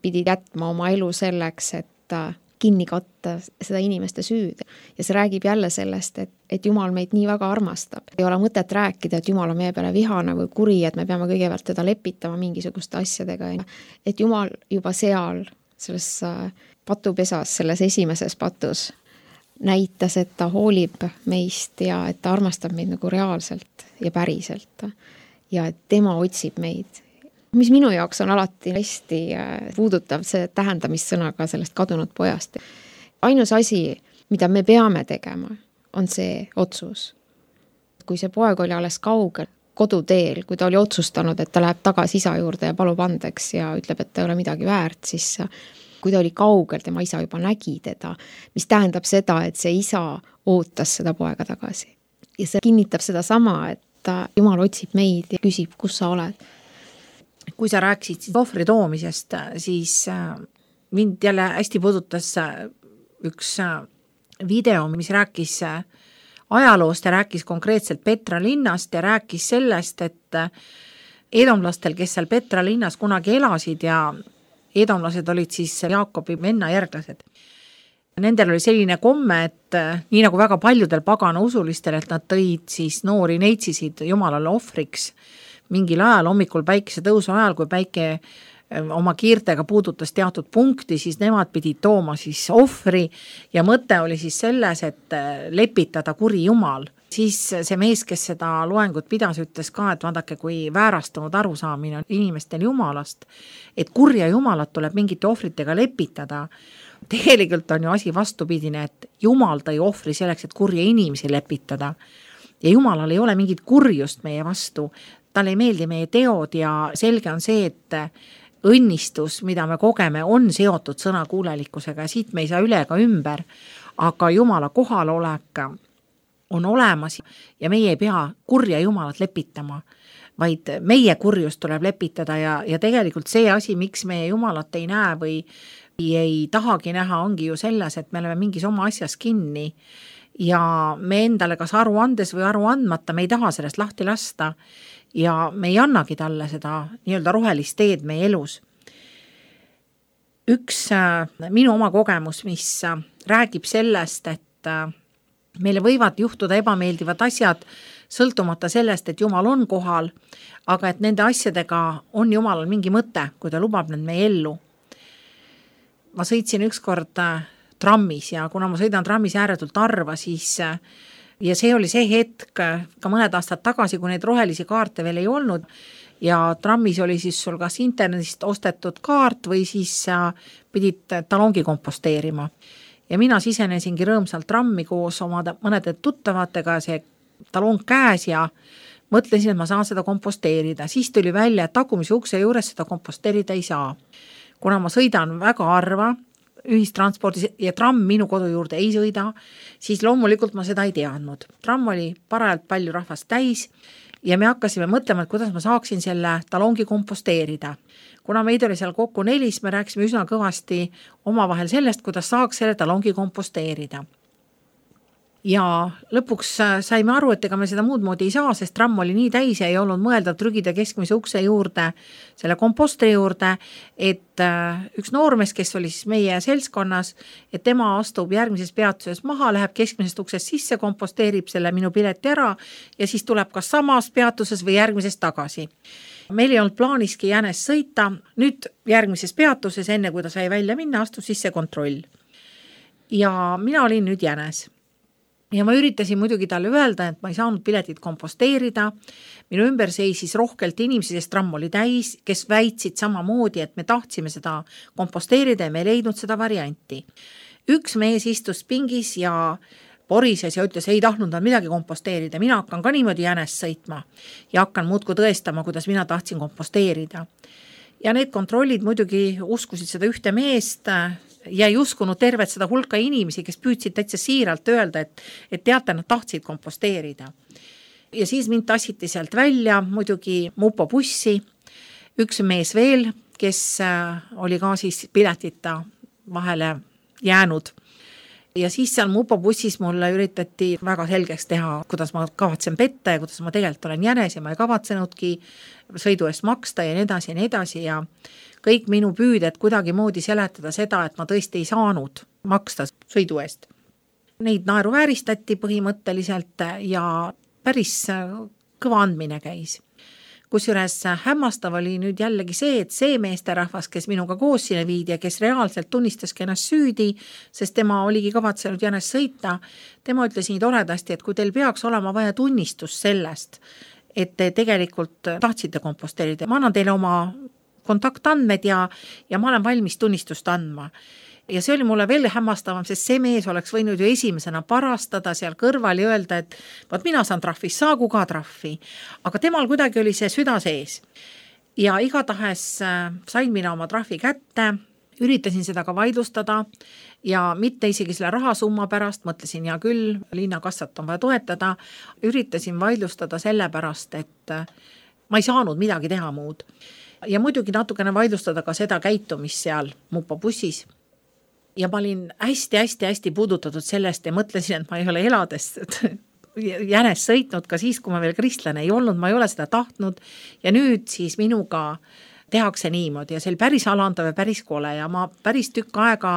pidi jätma oma elu selleks, et kinni katta seda inimeste süüd. Ja see räägib jälle sellest, et Jumal meid nii väga armastab. Ei ole mõtet rääkida, et Jumal on meie peale vihane või kuri, et me peame kõigepealt teda lepitama mingisuguste asjadega. Et Jumal juba seal, selles patupesas, selles esimeses patus näitas, et ta hoolib meist ja et ta armastab meid nagu reaalselt ja päriselt. Ja et tema otsib meid. Mis minu jaoks on alati hästi puudutav see tähendamissõnaga sellest kadunud pojast. Ainus asi, mida me peame tegema, on see otsus. Kui see poeg oli alles kaugel koduteel, kui ta oli otsustanud, et ta läheb tagasi isa juurde ja palub andeks ja ütleb, et ta ei ole midagi väärt, siis kui ta oli kaugel, tema isa juba nägi teda, mis tähendab seda, et see isa ootas seda poega tagasi. Ja see kinnitab seda sama, et Jumal otsib meid ja küsib, kus sa oled. Kui sa rääkisid ohvri toomisest, siis mind jälle hästi puudutas üks video, mis rääkis ajaloost ja rääkis konkreetselt Petra linnast ja rääkis sellest, et edomlastel, kes seal Petra linnas kunagi elasid ja edomlased olid siis Jaakobi venna järglased. Nendel oli selline komme, et nii nagu väga paljudel pagana usulistel, et nad tõid siis noori neetsisid Jumalale ohvriks mingil ajal, hommikul päikese tõusu ajal, kui päike oma kiirtega puudutas teatud punkti, siis nemad pidid tooma siis ohvri ja mõte oli siis selles, et lepitada kuri Jumal. Siis see mees, kes seda loengut pidas, ütles ka, et vaadake, kui väärastunud arusaamine on inimestel Jumalast, et kurja Jumalat tuleb mingite ohvritega lepitada. Tegelikult on ju asi vastupidine, et Jumal tõi ohvri selleks, et kurja inimesi lepitada. Ja Jumalal ei ole mingit kurjust meie vastu. Tal ei meeldi meie teod ja selge on see, et õnnistus, mida me kogeme, on seotud sõnakuulelikkusega ja siit me ei saa üle ega ümber, aga Jumala kohalolek on olemas ja meie ei pea kurja Jumalat lepitama, vaid meie kurjust tuleb lepitada ja tegelikult see asi, miks meie Jumalat ei näe või ei tahagi näha, ongi ju selles, et me oleme mingis oma asjas kinni ja me endale kas aru andes või aru andmata, me ei taha sellest lahti lasta ja me ei annagi talle seda nii-öelda rohelist teed meie elus. Üks minu oma kogemus, mis räägib sellest, et meile võivad juhtuda ebameeldivad asjad, sõltumata sellest, et Jumal on kohal, aga et nende asjadega on Jumalal mingi mõte, kui ta lubab need meie ellu. Ma sõitsin ükskord trammis ja kuna ma sõidan trammis ääretult harva, siis ja see oli see hetk ka mõned aastad tagasi, kui neid rohelisi kaarte veel ei olnud ja trammis oli siis sul kas internetist ostetud kaart või siis pidid talongi komposteerima. Ja mina sisenesingi rõõmsalt trammi koos oma mõnede tuttavatega see talong käes ja mõtlesin, et ma saan seda komposteerida. Siis tuli välja, et tagumise ukse juures seda komposteerida ei saa. Kuna ma sõidan väga harva ühistranspordis ja tramm minu kodu juurde ei sõida, siis loomulikult ma seda ei teadnud. Tramm oli parajalt palju rahvast täis ja me hakkasime mõtlema, et kuidas ma saaksin selle talongi komposteerida. Kuna meid oli seal kokku 4, me rääkisime üsna kõvasti omavahel sellest, kuidas saaks selle talongi komposteerida. Ja lõpuks saime aru, et ega me seda muud moodi ei saa, sest tramm oli nii täis ja ei olnud mõelda trügida keskmise ukse juurde, selle kompostri juurde, et üks noormees, kes oli siis meie seltskonnas, et tema astub järgmises peatuses maha, läheb keskmisest uksest sisse, komposteerib selle minu pileti ära ja siis tuleb kas samas peatuses või järgmises tagasi. Meil ei olnud plaaniski Jänes sõita, nüüd järgmises peatuses, enne kui ta sai välja minna, astus sisse kontroll. Ja mina olin nüüd Jänes. Ja ma üritasin muidugi talle öelda, et ma ei saanud piletit komposteerida. Minu ümber seisis rohkelt inimesi, sest tramm oli täis, kes väitsid samamoodi, et me tahtsime seda komposteerida ja me ei leidnud seda varianti. Üks mees istus pingis ja porises ja ütles, ei tahtnud nad midagi komposteerida. Mina hakkan ka niimoodi Jänes sõitma ja hakkan muudku tõestama, kuidas mina tahtsin komposteerida. Ja need kontrollid muidugi uskusid seda ühte meest ja ei uskunud tervet seda hulka inimesi, kes püüdsid täitsa siiralt öelda, et teate, nad tahtsid komposteerida. Ja siis mind tassiti sealt välja muidugi Mupo bussi, üks mees veel, kes oli ka siis piletita vahele jäänud. Ja siis seal Mupo bussis mulle üritati väga selgeks teha, kuidas ma kavatsen petta ja kuidas ma tegelikult olen jänes ja ma ei kavatsenudki sõidu eest maksta ja nii edasi ja kõik minu püüded kuidagi moodi seletada seda, et ma tõesti ei saanud maksta sõidu eest. Neid naeruvääristati põhimõtteliselt ja päris kõva andmine käis. Kusjuures hämmastav oli nüüd jällegi see, et see meesterahvas, kes minuga koos sinna viidi ja kes reaalselt tunnistaski ennast süüdi, sest tema oligi kavatsenud jänest sõita, tema ütles nii toredasti, et kui teil peaks olema vaja tunnistust sellest, et te tegelikult tahtsite komposteerida, ma annan teile oma kontaktandmed ja ma olen valmis tunnistust andma. Ja see oli mulle veel hämmastavam, sest see mees oleks võinud ju esimesena parastada seal kõrval ja öelda, et vaat mina saan trahvi, saagu ka trahvi. Aga temal kuidagi oli see süda sees. Ja igatahes sain mina oma trahvi kätte, üritasin seda ka vaidlustada ja mitte isegi selle rahasumma pärast, mõtlesin ja küll, linnakassat on vaja toetada, üritasin vaidlustada selle pärast, et ma ei saanud midagi teha muud. Ja muidugi natukene vaidlustada ka seda käitumist seal Mupo bussis. Ja ma olin hästi puudutatud sellest ja mõtlesin, et ma ei ole elades jänes sõitnud ka siis, kui ma veel kristlane ei olnud, ma ei ole seda tahtnud ja nüüd siis minuga tehakse niimoodi ja see oli päris alandav ja päris kole ja ma päris tükk aega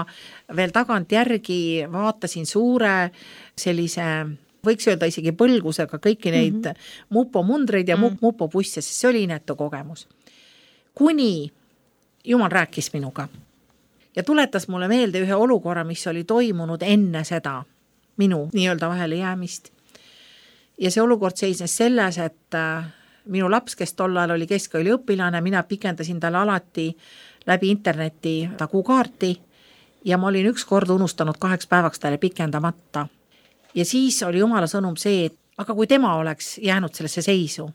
veel tagant järgi vaatasin suure sellise, võiks öelda isegi põlgusega kõiki neid Mupo mundreid ja Mupo busse, sest see oli inetu kogemus. Kuni Jumal rääkis minuga. Ja tuletas mulle meelde ühe olukorra, mis oli toimunud enne seda minu nii-öelda vahele jäämist. Ja see olukord seisnes selles, et minu laps, kes tol ajal oli keskkooli õpilane, mina pikendasin talle alati läbi interneti ta kuukaarti ja ma olin üks kord unustanud 2 päevaks talle pikendamata. Ja siis oli Jumala sõnum see, et aga kui tema oleks jäänud sellesse seisu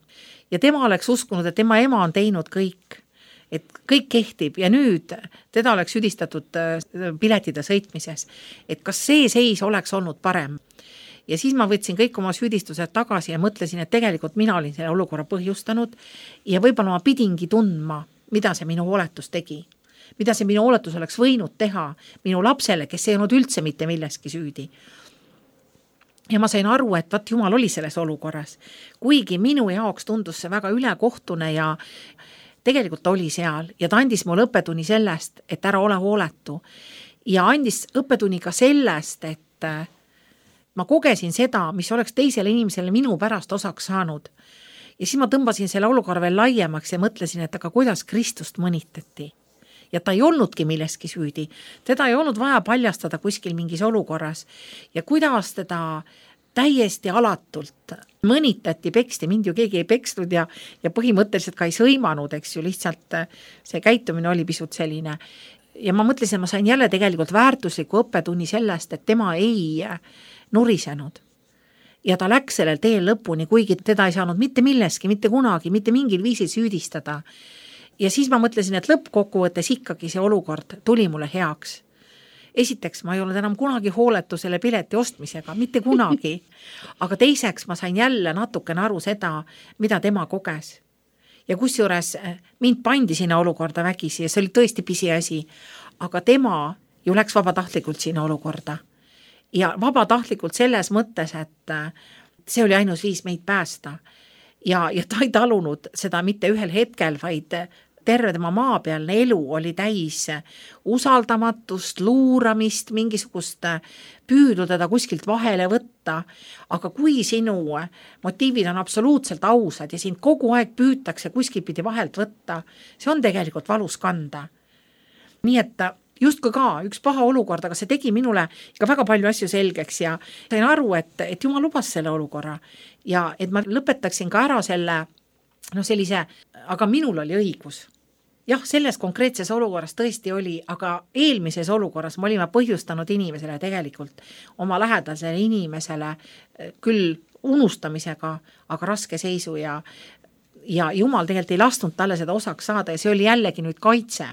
ja tema oleks uskunud, et tema ema on teinud kõik, et kõik kehtib ja nüüd teda oleks süüdistatud piletide sõitmises, et kas see seis oleks olnud parem. Ja siis ma võtsin kõik oma süüdistused tagasi ja mõtlesin, et tegelikult mina olin selle olukorra põhjustanud ja võib-olla ma pidingi tundma, mida see minu hooletus tegi. Mida see minu hooletus oleks võinud teha minu lapsele, kes ei olnud üldse mitte milleski süüdi. Ja ma sain aru, et vaat Jumal oli selles olukorras. Kuigi minu jaoks tundus see väga ülekohtune ja tegelikult oli seal ja ta andis mulle õppetunni sellest, et ära ole hooletu ja andis õppetunni ka sellest, et ma kogesin seda, mis oleks teisele inimesele minu pärast osaks saanud. Ja siis ma tõmbasin selle olukorra veel laiemaks ja mõtlesin, et aga kuidas Kristust mõnitati. Ja ta ei olnudki milleski süüdi. Teda ei olnud vaja paljastada kuskil mingis olukorras ja kuidas teda täiesti alatult mõnitati, peksti, mind ju keegi ei peksnud ja põhimõtteliselt ka ei sõimanud, eks ju, lihtsalt see käitumine oli pisut selline. Ja ma mõtlesin, et ma sain jälle tegelikult väärtusliku õppetunni sellest, et tema ei nurisenud. Ja ta läks sellel teel lõpuni, kuigi teda ei saanud mitte milleski, mitte kunagi, mitte mingil viisil süüdistada. Ja siis ma mõtlesin, et lõppkokkuvõttes ikkagi see olukord tuli mulle heaks. Esiteks, ma ei olnud enam kunagi hooletu selle pileti ostmisega, mitte kunagi. Aga teiseks, ma sain jälle natukene aru seda, mida tema koges. Ja kusjuures mind pandi sinna olukorda vägisi ja see oli tõesti pisiasi. Aga tema ju läks vabatahtlikult sinna olukorda. Ja vabatahtlikult selles mõttes, et see oli ainus viis meid päästa. Ja ta ei talunud seda mitte ühel hetkel, vaid terve tema maapealne elu oli täis usaldamatust, luuramist, mingisugust püüdu teda kuskilt vahele võtta. Aga kui sinu motiivid on absoluutselt ausad ja sind kogu aeg püütakse kuskil pidi vahelt võtta, see on tegelikult valus kanda. Nii et justkui ka üks paha olukord, aga see tegi minule ka väga palju asju selgeks ja sain aru, et Jumal lubas selle olukorra ja et ma lõpetaksin ka ära selle sellise, aga minul oli õigus. Jah, selles konkreetses olukorras tõesti oli, aga eelmises olukorras me olime põhjustanud inimesele tegelikult oma lähedasele inimesele küll unustamisega, aga raske seisu ja ja Jumal tegelikult ei lasknud talle seda osaks saada ja see oli jällegi nüüd kaitse.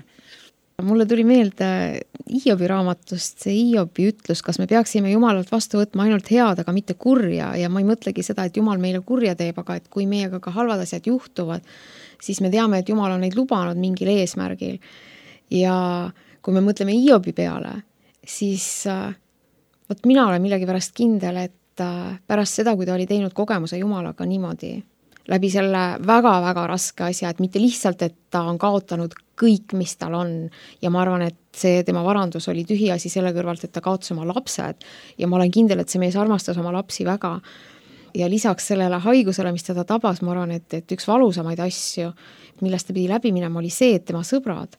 Mulle tuli meelde Hiobi raamatust see Hiobi ütlus, kas me peaksime Jumalalt vastu võtma ainult head, aga mitte kurja, ja ma ei mõtlegi seda, et Jumal meile kurja teeb, aga et kui meiega ka halvad asjad juhtuvad, siis me teame, et Jumal on neid lubanud mingil eesmärgil. Ja kui me mõtleme Hiobi peale, siis võt mina olen millegi pärast kindel, et pärast seda, kui ta oli teinud kogemuse Jumalaga niimoodi, läbi selle väga-väga raske asja, et mitte lihtsalt, et ta on kaotanud kõik, mis tal on, ja ma arvan, et see tema varandus oli tühi asi selle kõrvalt, et ta kaotas oma lapsed, ja ma olen kindel, et see mees armastas oma lapsi väga, ja lisaks sellele haigusele, mis teda tabas, ma arvan, et üks valusamaid asju, millest ta pidi läbi minema, oli see, et tema sõbrad,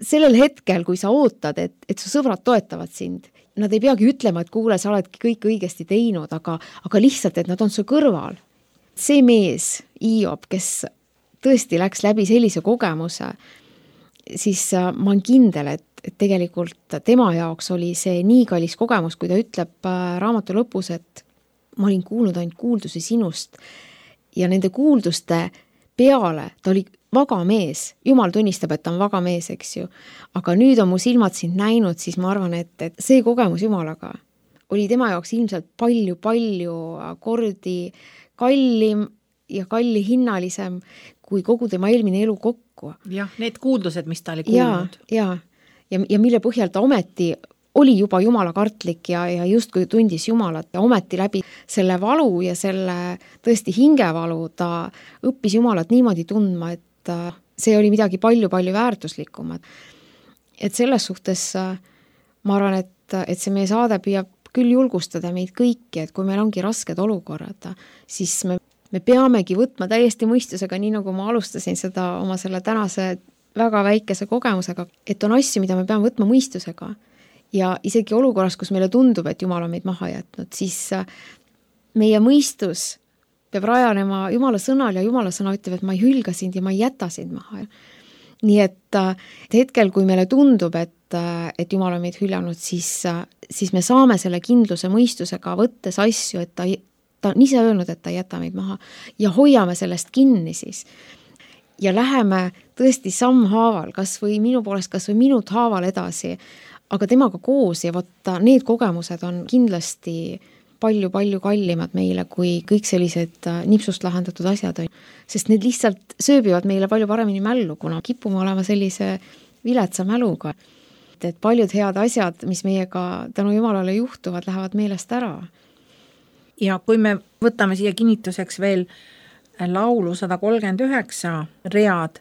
sellel hetkel, kui sa ootad, et su sõbrad toetavad sind, nad ei peagi ütlema, et kuule, sa oledki kõik õigesti teinud, aga lihtsalt, et nad on su kõrval. See mees, Hiob, kes tõesti läks läbi sellise kogemuse, siis ma olen kindel, et tegelikult tema jaoks oli see nii kallis kogemus, kui ta ütleb raamatu lõpus, et ma olin kuulnud ainult kuuldusi sinust ja nende kuulduste peale ta oli vaga mees. Jumal tunnistab, et ta on vaga mees, eks ju. Aga nüüd on mu silmad sind näinud, siis ma arvan, et see kogemus Jumalaga oli tema jaoks ilmselt palju kordi kallim ja kallihinnalisem kui kogu tema eelmine elu kokku. Jah, need kuuldused, mis ta oli kuulnud. Ja mille põhjal ta ometi oli juba Jumala kartlik ja justkui tundis Jumalat ja ometi läbi selle valu ja selle tõesti hingevalu ta õppis Jumalat niimoodi tundma, et see oli midagi palju väärtuslikumat. Et selles suhtes ma arvan, et see meie saade püüab küll julgustada meid kõiki, et kui meil ongi rasked olukorrad, siis me peamegi võtma täiesti mõistusega, nii nagu ma alustasin seda oma selle tänase väga väikese kogemusega, et on asju, mida me peame võtma mõistusega. Ja isegi olukorras, kus meile tundub, et Jumal on meid maha jätnud, siis meie mõistus peab rajanema Jumala sõnal ja Jumala sõna ütleb, et ma ei hülga sind ja ma ei jäta sind maha. Nii et hetkel, kui meile tundub, et Jumal on meid hüljanud, siis me saame selle kindluse mõistusega võttes asju, et ta on ise öelnud, et ta ei jäta meid maha ja hoiame sellest kinni siis. Ja läheme tõesti sammhaaval, kas või minu poolest, kas või minut haaval edasi, aga temaga koos ja võtta need kogemused on kindlasti palju kallimad meile kui kõik sellised nipsust lahendatud asjad. Sest need lihtsalt sööbivad meile palju paremini mällu, kuna kipume olema sellise viletsa mäluga. Et paljud head asjad, mis meiega tänu Jumalale juhtuvad, lähevad meelest ära. Ja kui me võtame siia kinnituseks veel laulu 139 read,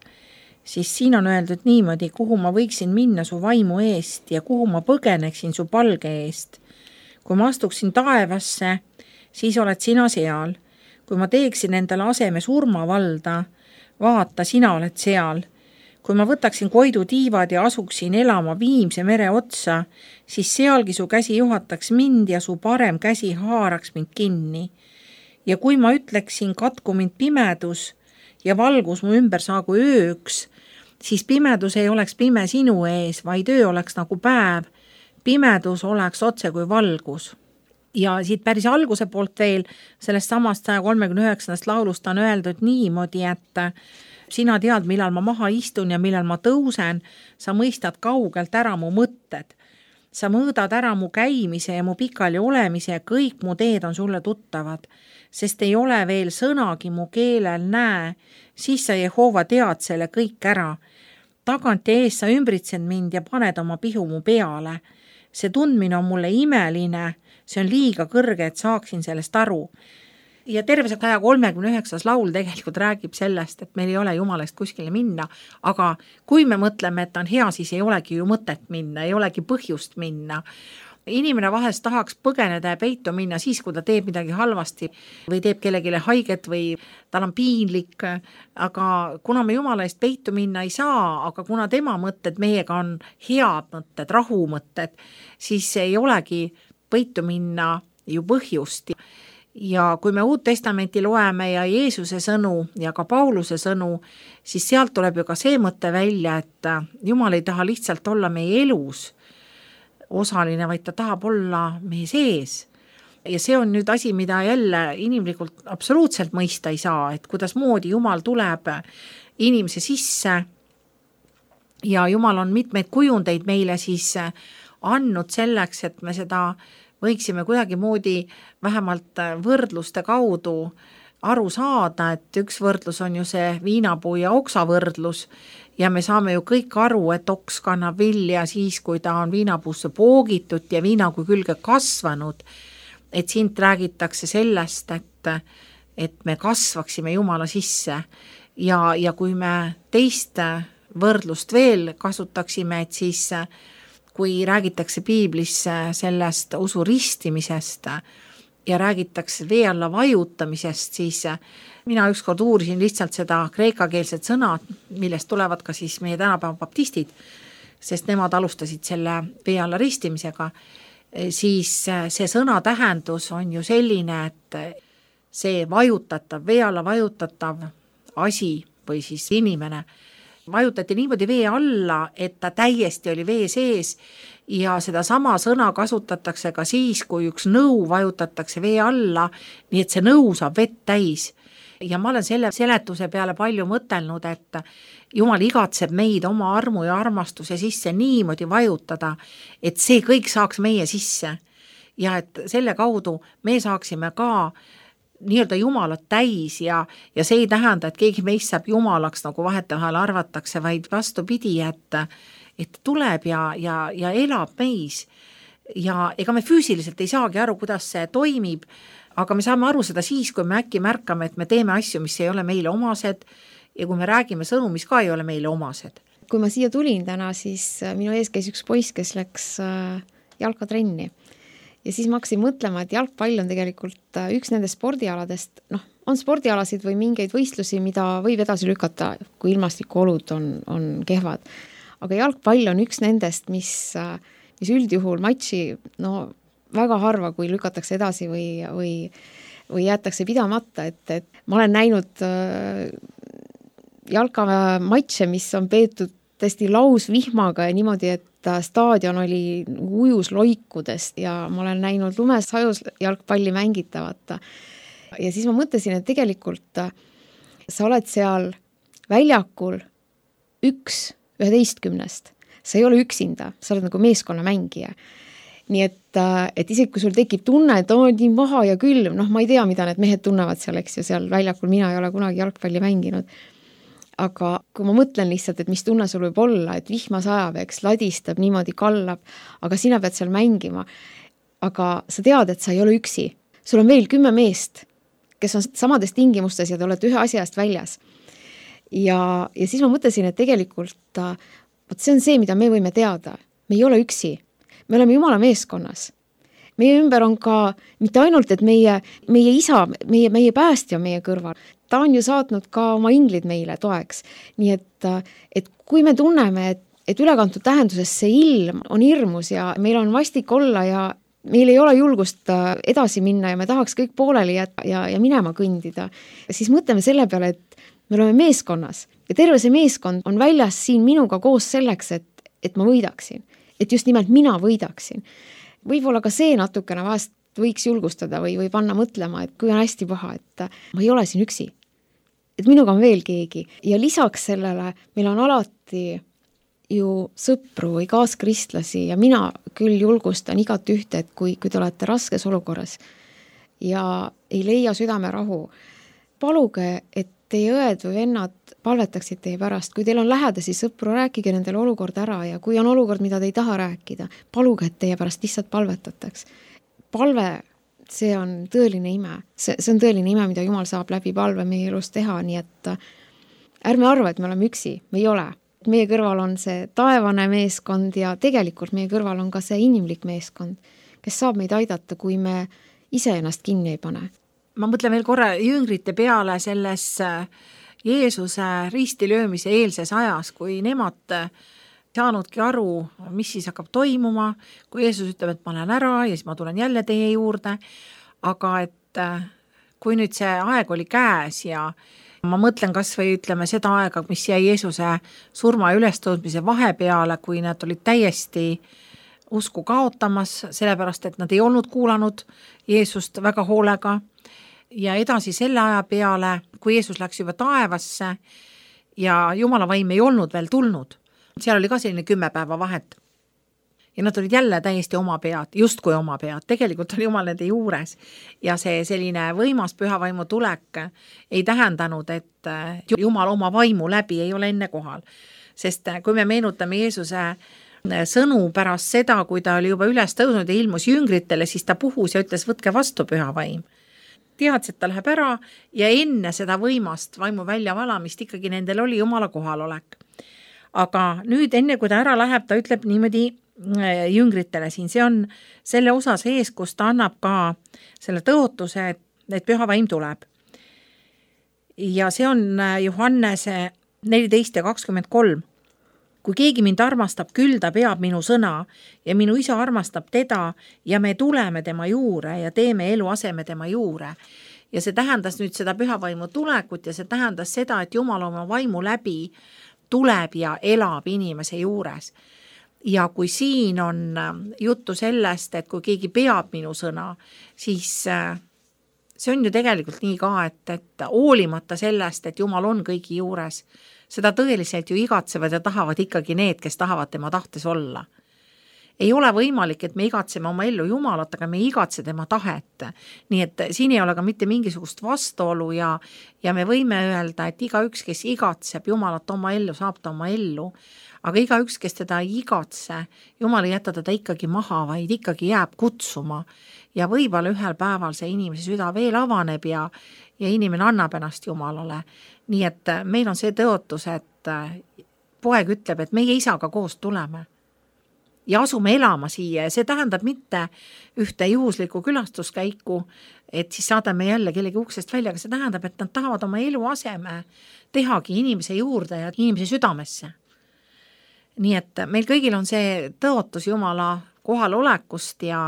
siis siin on öeldud niimoodi, kuhu ma võiksin minna su vaimu eest ja kuhu ma põgeneksin su palge eest. Kui ma astuksin taevasse, siis oled sina seal. Kui ma teeksin endale aseme surmavalda, vaata, sina oled seal. Kui ma võtaksin Koidu tiivad ja asuksin elama Viimse mere otsa, siis sealgi su käsi juhataks mind ja su parem käsi haaraks mind kinni. Ja kui ma ütleksin, katku mind pimedus ja valgus mu ümber saagu ööks, siis pimedus ei oleks pime sinu ees, vaid öö oleks nagu päev. Pimedus oleks otse kui valgus. Ja siit päris alguse poolt veel, sellest samast 139. laulust on öeldud niimoodi, et sina tead, millal ma maha istun ja millal ma tõusen, sa mõistad kaugelt ära mu mõtted. Sa mõõdad ära mu käimise ja mu pikali olemise ja kõik mu teed on sulle tuttavad, sest ei ole veel sõnagi mu keelel näe, siis sa Jehova tead selle kõik ära. Tagant ja ees sa ümbritsed mind ja paned oma pihu mu peale. See tundmine on mulle imeline, see on liiga kõrge, et saaksin sellest aru. Ja terve 139. laul tegelikult räägib sellest, et meil ei ole Jumalast kuskile minna, aga kui me mõtleme, et on hea, siis ei olegi ju mõtet minna, ei olegi põhjust minna. Inimene vahest tahaks põgeneda ja peitu minna siis, kui ta teeb midagi halvasti või teeb kellegile haiget või tal on piinlik, aga kuna me Jumala eest peitu minna ei saa, aga kuna tema mõtted meiega on head mõtted, rahumõtted, siis ei olegi peitu minna ju põhjust. Ja kui me Uut Testamenti loeme ja Jeesuse sõnu ja ka Pauluse sõnu, siis sealt tuleb ju ka see mõte välja, et Jumal ei taha lihtsalt olla meie elus osaline, vaid ta tahab olla meie sees. Ja see on nüüd asi, mida jälle inimlikult absoluutselt mõista ei saa, et kuidas moodi Jumal tuleb inimese sisse ja Jumal on mitmeid kujundeid meile siis andnud selleks, et me seda võiksime kuidagi moodi vähemalt võrdluste kaudu aru saada, et üks võrdlus on ju see viinapuu ja oksa võrdlus ja me saame ju kõik aru, et oks kannab vilja siis, kui ta on viinapuusse poogitud ja viinapuu külge kasvanud. Et siit räägitakse sellest, et me kasvaksime Jumala sisse ja kui me teist võrdlust veel kasutaksime, et siis kui räägitakse piiblis sellest usu ristimisest ja räägitakse vee alla vajutamisest, siis mina ükskord uurisin lihtsalt seda kreekakeelset sõna, millest tulevad ka siis meie tänapäeva baptistid, sest nemad alustasid selle vee alla ristimisega. Siis see sõna tähendus on ju selline, et see vajutatav, vee alla vajutatav asi või siis inimene vajutati niimoodi vee alla, et ta täiesti oli vee sees ja seda sama sõna kasutatakse ka siis, kui üks nõu vajutatakse vee alla, nii et see nõu saab vett täis. Ja ma olen selle seletuse peale palju mõtelnud, et Jumal igatseb meid oma armu ja armastuse sisse niimoodi vajutada, et see kõik saaks meie sisse ja et selle kaudu me saaksime ka nii-öelda Jumalat täis ja see ei tähenda, et keegi meist saab Jumalaks, nagu vahetevahel arvatakse, vaid vastupidi, et tuleb ja elab meis ja ega me füüsiliselt ei saagi aru, kuidas see toimib, aga me saame aru seda siis, kui me äkki märkame, et me teeme asju, mis ei ole meile omased ja kui me räägime sõnu, mis ka ei ole meile omased. Kui ma siia tulin täna, siis minu ees käis üks poiss, kes läks jalkatrenni ja siis ma hakkasin mõtlema, et jalgpall on tegelikult üks nendest spordialadest, on spordialasid või mingeid võistlusi, mida võib edasi lükata, kui ilmastikuolud on kehvad. Aga jalgpall on üks nendest, mis üldjuhul matši, väga harva, kui lükatakse edasi või jäetakse pidamata, et ma olen näinud jalkamatše, mis on peetud tõesti lausvihmaga ja niimoodi, et staadion oli ujus loikudest ja ma olen näinud lumes hajus jalgpalli mängitavat. Ja siis ma mõtlesin, et tegelikult sa oled seal väljakul 11. Sa ei ole üksinda, sa oled nagu meeskonna mängija. Nii et isegi kui sul tekib tunne, et on nii maha ja külm, ma ei tea, mida need mehed tunnevad seal, eks ju, seal väljakul, mina ei ole kunagi jalgpalli mänginud. Aga kui ma mõtlen lihtsalt, et mis tunne sul võib olla, et vihma sajab, eks, ladistab, niimoodi kallab, aga sina pead seal mängima. Aga sa tead, et sa ei ole üksi. Sul on veel 10 meest, kes on samades tingimustes ja te olete ühe asjast väljas. Ja siis ma mõtlesin, et tegelikult see on see, mida me võime teada. Me ei ole üksi. Me oleme Jumala meeskonnas. Meie ümber on ka mitte ainult, et meie isa, meie päästja on meie kõrval. Ta on ju saatnud ka oma inglid meile toeks. Nii et kui me tunneme, et ülekantud tähenduses see ilm on hirmus ja meil on vastik olla ja meil ei ole julgust edasi minna ja me tahaks kõik pooleli ja minema kõndida, siis mõtleme selle peale, et me oleme meeskonnas ja terve see meeskond on väljas siin minuga koos selleks, et ma võidaksin. Et just nimelt mina võidaksin. Võib-olla ka see natukene vahest võiks julgustada või panna mõtlema, et kui on hästi paha, et ma ei ole siin üksi. Et minuga on veel keegi. Ja lisaks sellele meil on alati ju sõpru või kaaskristlasi ja mina küll julgustan igat ühte, et kui te olete raskes olukorras ja ei leia südame rahu, paluge, et teie õed või vennad palvetaksid teie pärast. Kui teil on lähedasi sõpru, rääkige nendele olukord ära ja kui on olukord, mida te ei taha rääkida, paluge, et teie pärast lihtsalt palvetataks. Palve, see on tõeline ime. See on tõeline ime, mida Jumal saab läbi palve meie elus teha, nii et ärme arva, et me oleme üksi. Me ei ole. Meie kõrval on see taevane meeskond ja tegelikult meie kõrval on ka see inimlik meeskond, kes saab meid aidata, kui me ise ennast kinni ei pane. Ma mõtlen veel korra jüngrite peale selles Jeesuse ristilöömise eelses ajas, kui nemad saanudki aru, mis siis hakkab toimuma, kui Jeesus ütleb, et ma lähen ära ja siis ma tulen jälle teie juurde, aga et kui nüüd see aeg oli käes ja ma mõtlen kas või ütleme seda aega, mis jäi Jeesuse surma ja ülestõudmise vahepeale, kui nad olid täiesti usku kaotamas, sellepärast et nad ei olnud kuulanud Jeesust väga hoolega ja edasi selle aja peale, kui Jeesus läks juba taevasse ja Jumala vaim ei olnud veel tulnud, seal oli ka selline 10 päeva vahet. Ja nad olid jälle täiesti oma pead, justkui oma pead, tegelikult oli Jumal nende juures ja see selline võimas pühavaimu tulek ei tähendanud, et Jumal oma vaimu läbi ei ole enne kohal. Sest kui me meenutame Jeesuse sõnu pärast seda, kui ta oli juba üles tõusnud ja ilmus jüngritele, siis ta puhus ja ütles, võtke vastu pühavaim. Teadis, et ta läheb ära ja enne seda võimast vaimu väljavalamist ikkagi nendel oli Jumala kohalolek. Aga nüüd enne, kui ta ära läheb, ta ütleb niimoodi jüngritele siin, see on selle osas ees, kus ta annab ka selle tõotuse, et pühavaim tuleb. Ja see on Johannese 14 ja 23. Kui keegi mind armastab, küll ta peab minu sõna ja minu isa armastab teda ja me tuleme tema juure ja teeme eluaseme tema juure. Ja see tähendas nüüd seda pühavaimu tulekut ja see tähendas seda, et Jumal oma vaimu läbi tuleb ja elab inimese juures. Ja kui siin on juttu sellest, et kui keegi peab minu sõna, siis see on ju tegelikult nii ka, et hoolimata sellest, et Jumal on kõigi juures, seda tõeliselt ju igatsevad ja tahavad ikkagi need, kes tahavad tema tahtes olla. Ei ole võimalik, et me igatseme oma ellu Jumalat, aga me ei igatse tema tahet. Nii et siin ei ole ka mitte mingisugust vastuolu ja me võime öelda, et igaüks, kes igatseb Jumalat oma ellu, saab ta oma ellu. Aga igaüks, kes teda ei igatse, Jumal ei jäta teda ikkagi maha, vaid ikkagi jääb kutsuma. Ja võib-olla ühel päeval see inimese süda veel avaneb ja inimene annab ennast Jumalale. Nii et meil on see tõotus, et poeg ütleb, et meie isaga koos tuleme. Ja asume elama siia ja see tähendab mitte ühte juhuslikku külastuskäiku, et siis saadame jälle kellegi uksest välja, aga see tähendab, et nad tahavad oma eluaseme tehagi inimese juurde ja inimese südamesse. Nii et meil kõigil on see tõotus Jumala kohalolekust ja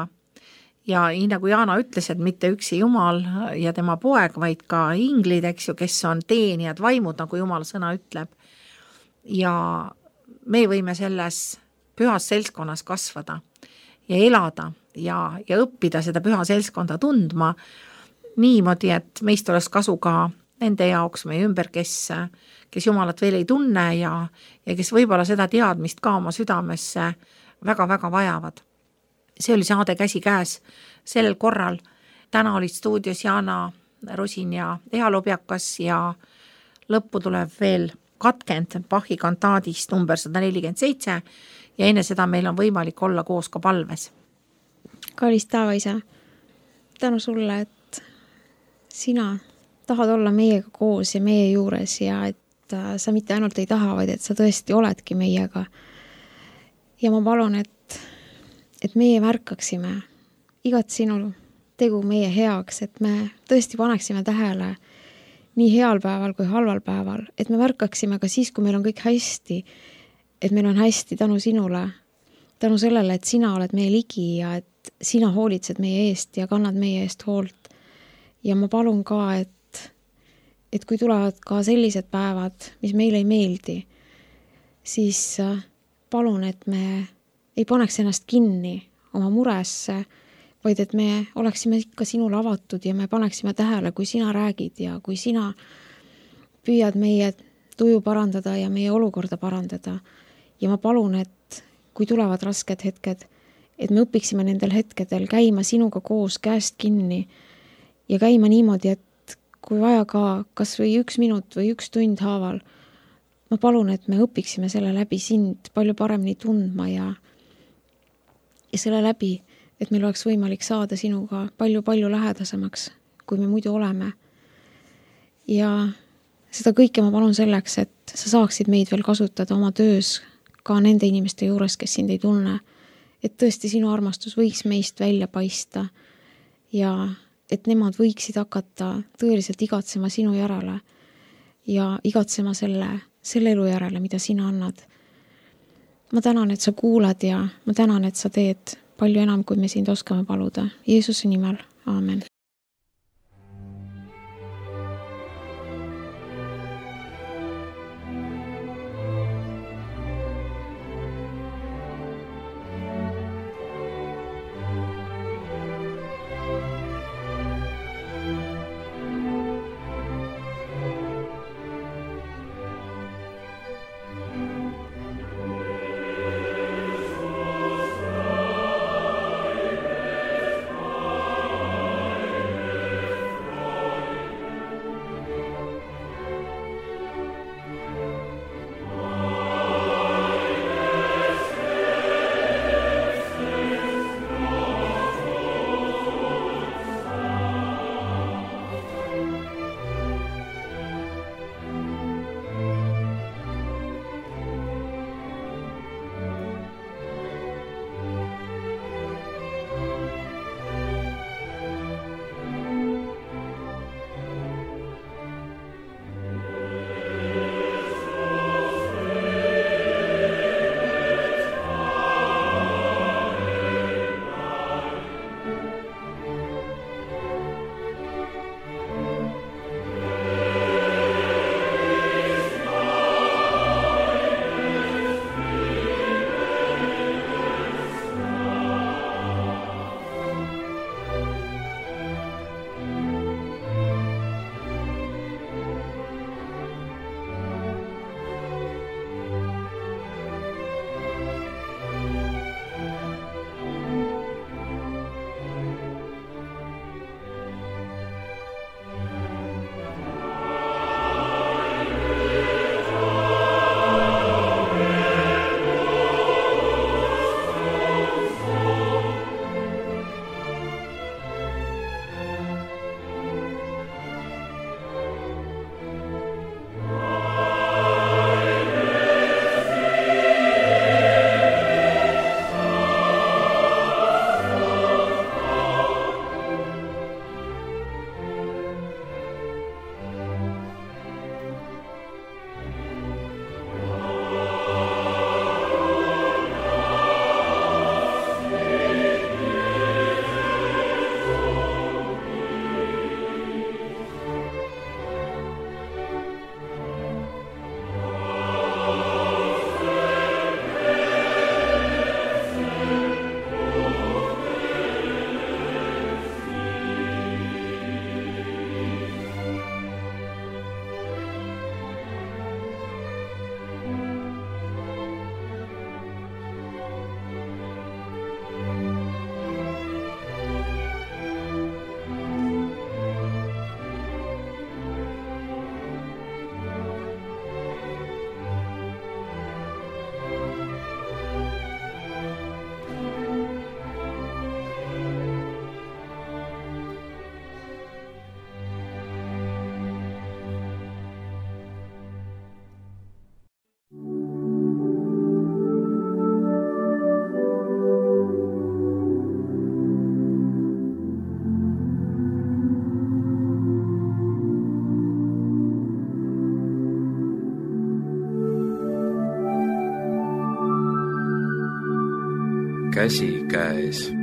nii nagu Jaana ütles, et mitte üksi Jumal ja tema poeg, vaid ka inglid, eks ju, kes on teenijad vaimud, nagu Jumala sõna ütleb. Ja me võime selles pühas seltskonnas kasvada ja elada ja õppida seda püha seltskonda tundma niimoodi, et meist oleks kasu ka nende jaoks meie ümber, kes Jumalat veel ei tunne ja kes võib-olla seda teadmist ka oma südamesse väga-väga vajavad. See oli saade Käsi käes sellel korral. Täna olid stuudios Jaana Rosin ja Eha Lobjakas ja lõppu tuleb veel katkend Bachi kantaadist number 147 ja enne seda meil on võimalik olla koos ka palves. Kallis taevaisa, tänu sulle, et sina tahad olla meiega koos ja meie juures ja et sa mitte ainult ei taha, vaid et sa tõesti oledki meiega. Ja ma palun, et meie märkaksime igat sinu tegu meie heaks, et me tõesti paneksime tähele nii heal päeval kui halval päeval, et me märkaksime ka siis, kui meil on kõik hästi, et meil on hästi tänu sinule, tänu sellele, et sina oled meie ligi ja et sina hoolitsed meie eest ja kannad meie eest hoolt. Ja ma palun ka, et kui tulevad ka sellised päevad, mis meile ei meeldi, siis palun, et me ei paneks ennast kinni oma muresse, vaid et me oleksime ikka sinule avatud ja me paneksime tähele, kui sina räägid ja kui sina püüad meie tuju parandada ja meie olukorda parandada. Ja ma palun, et kui tulevad rasked hetked, et me õpiksime nendel hetkedel käima sinuga koos käest kinni ja käima niimoodi, et kui vaja ka kas või 1 minut või 1 tund haaval, ma palun, et me õpiksime selle läbi sind palju paremini tundma ja selle läbi, et meil oleks võimalik saada sinuga palju-palju lähedasemaks, kui me muidu oleme. Ja seda kõike ma palun selleks, et sa saaksid meid veel kasutada oma töös ka nende inimeste juures, kes sind ei tunne. Et tõesti sinu armastus võiks meist välja paista ja et nemad võiksid hakata tõeliselt igatsema sinu järele ja igatsema selle elu järele, mida sina annad. Ma tänan, et sa kuulad ja ma tänan, et sa teed palju enam, kui me sind oskame paluda. Jeesuse nimel. Aamen. käsikäes.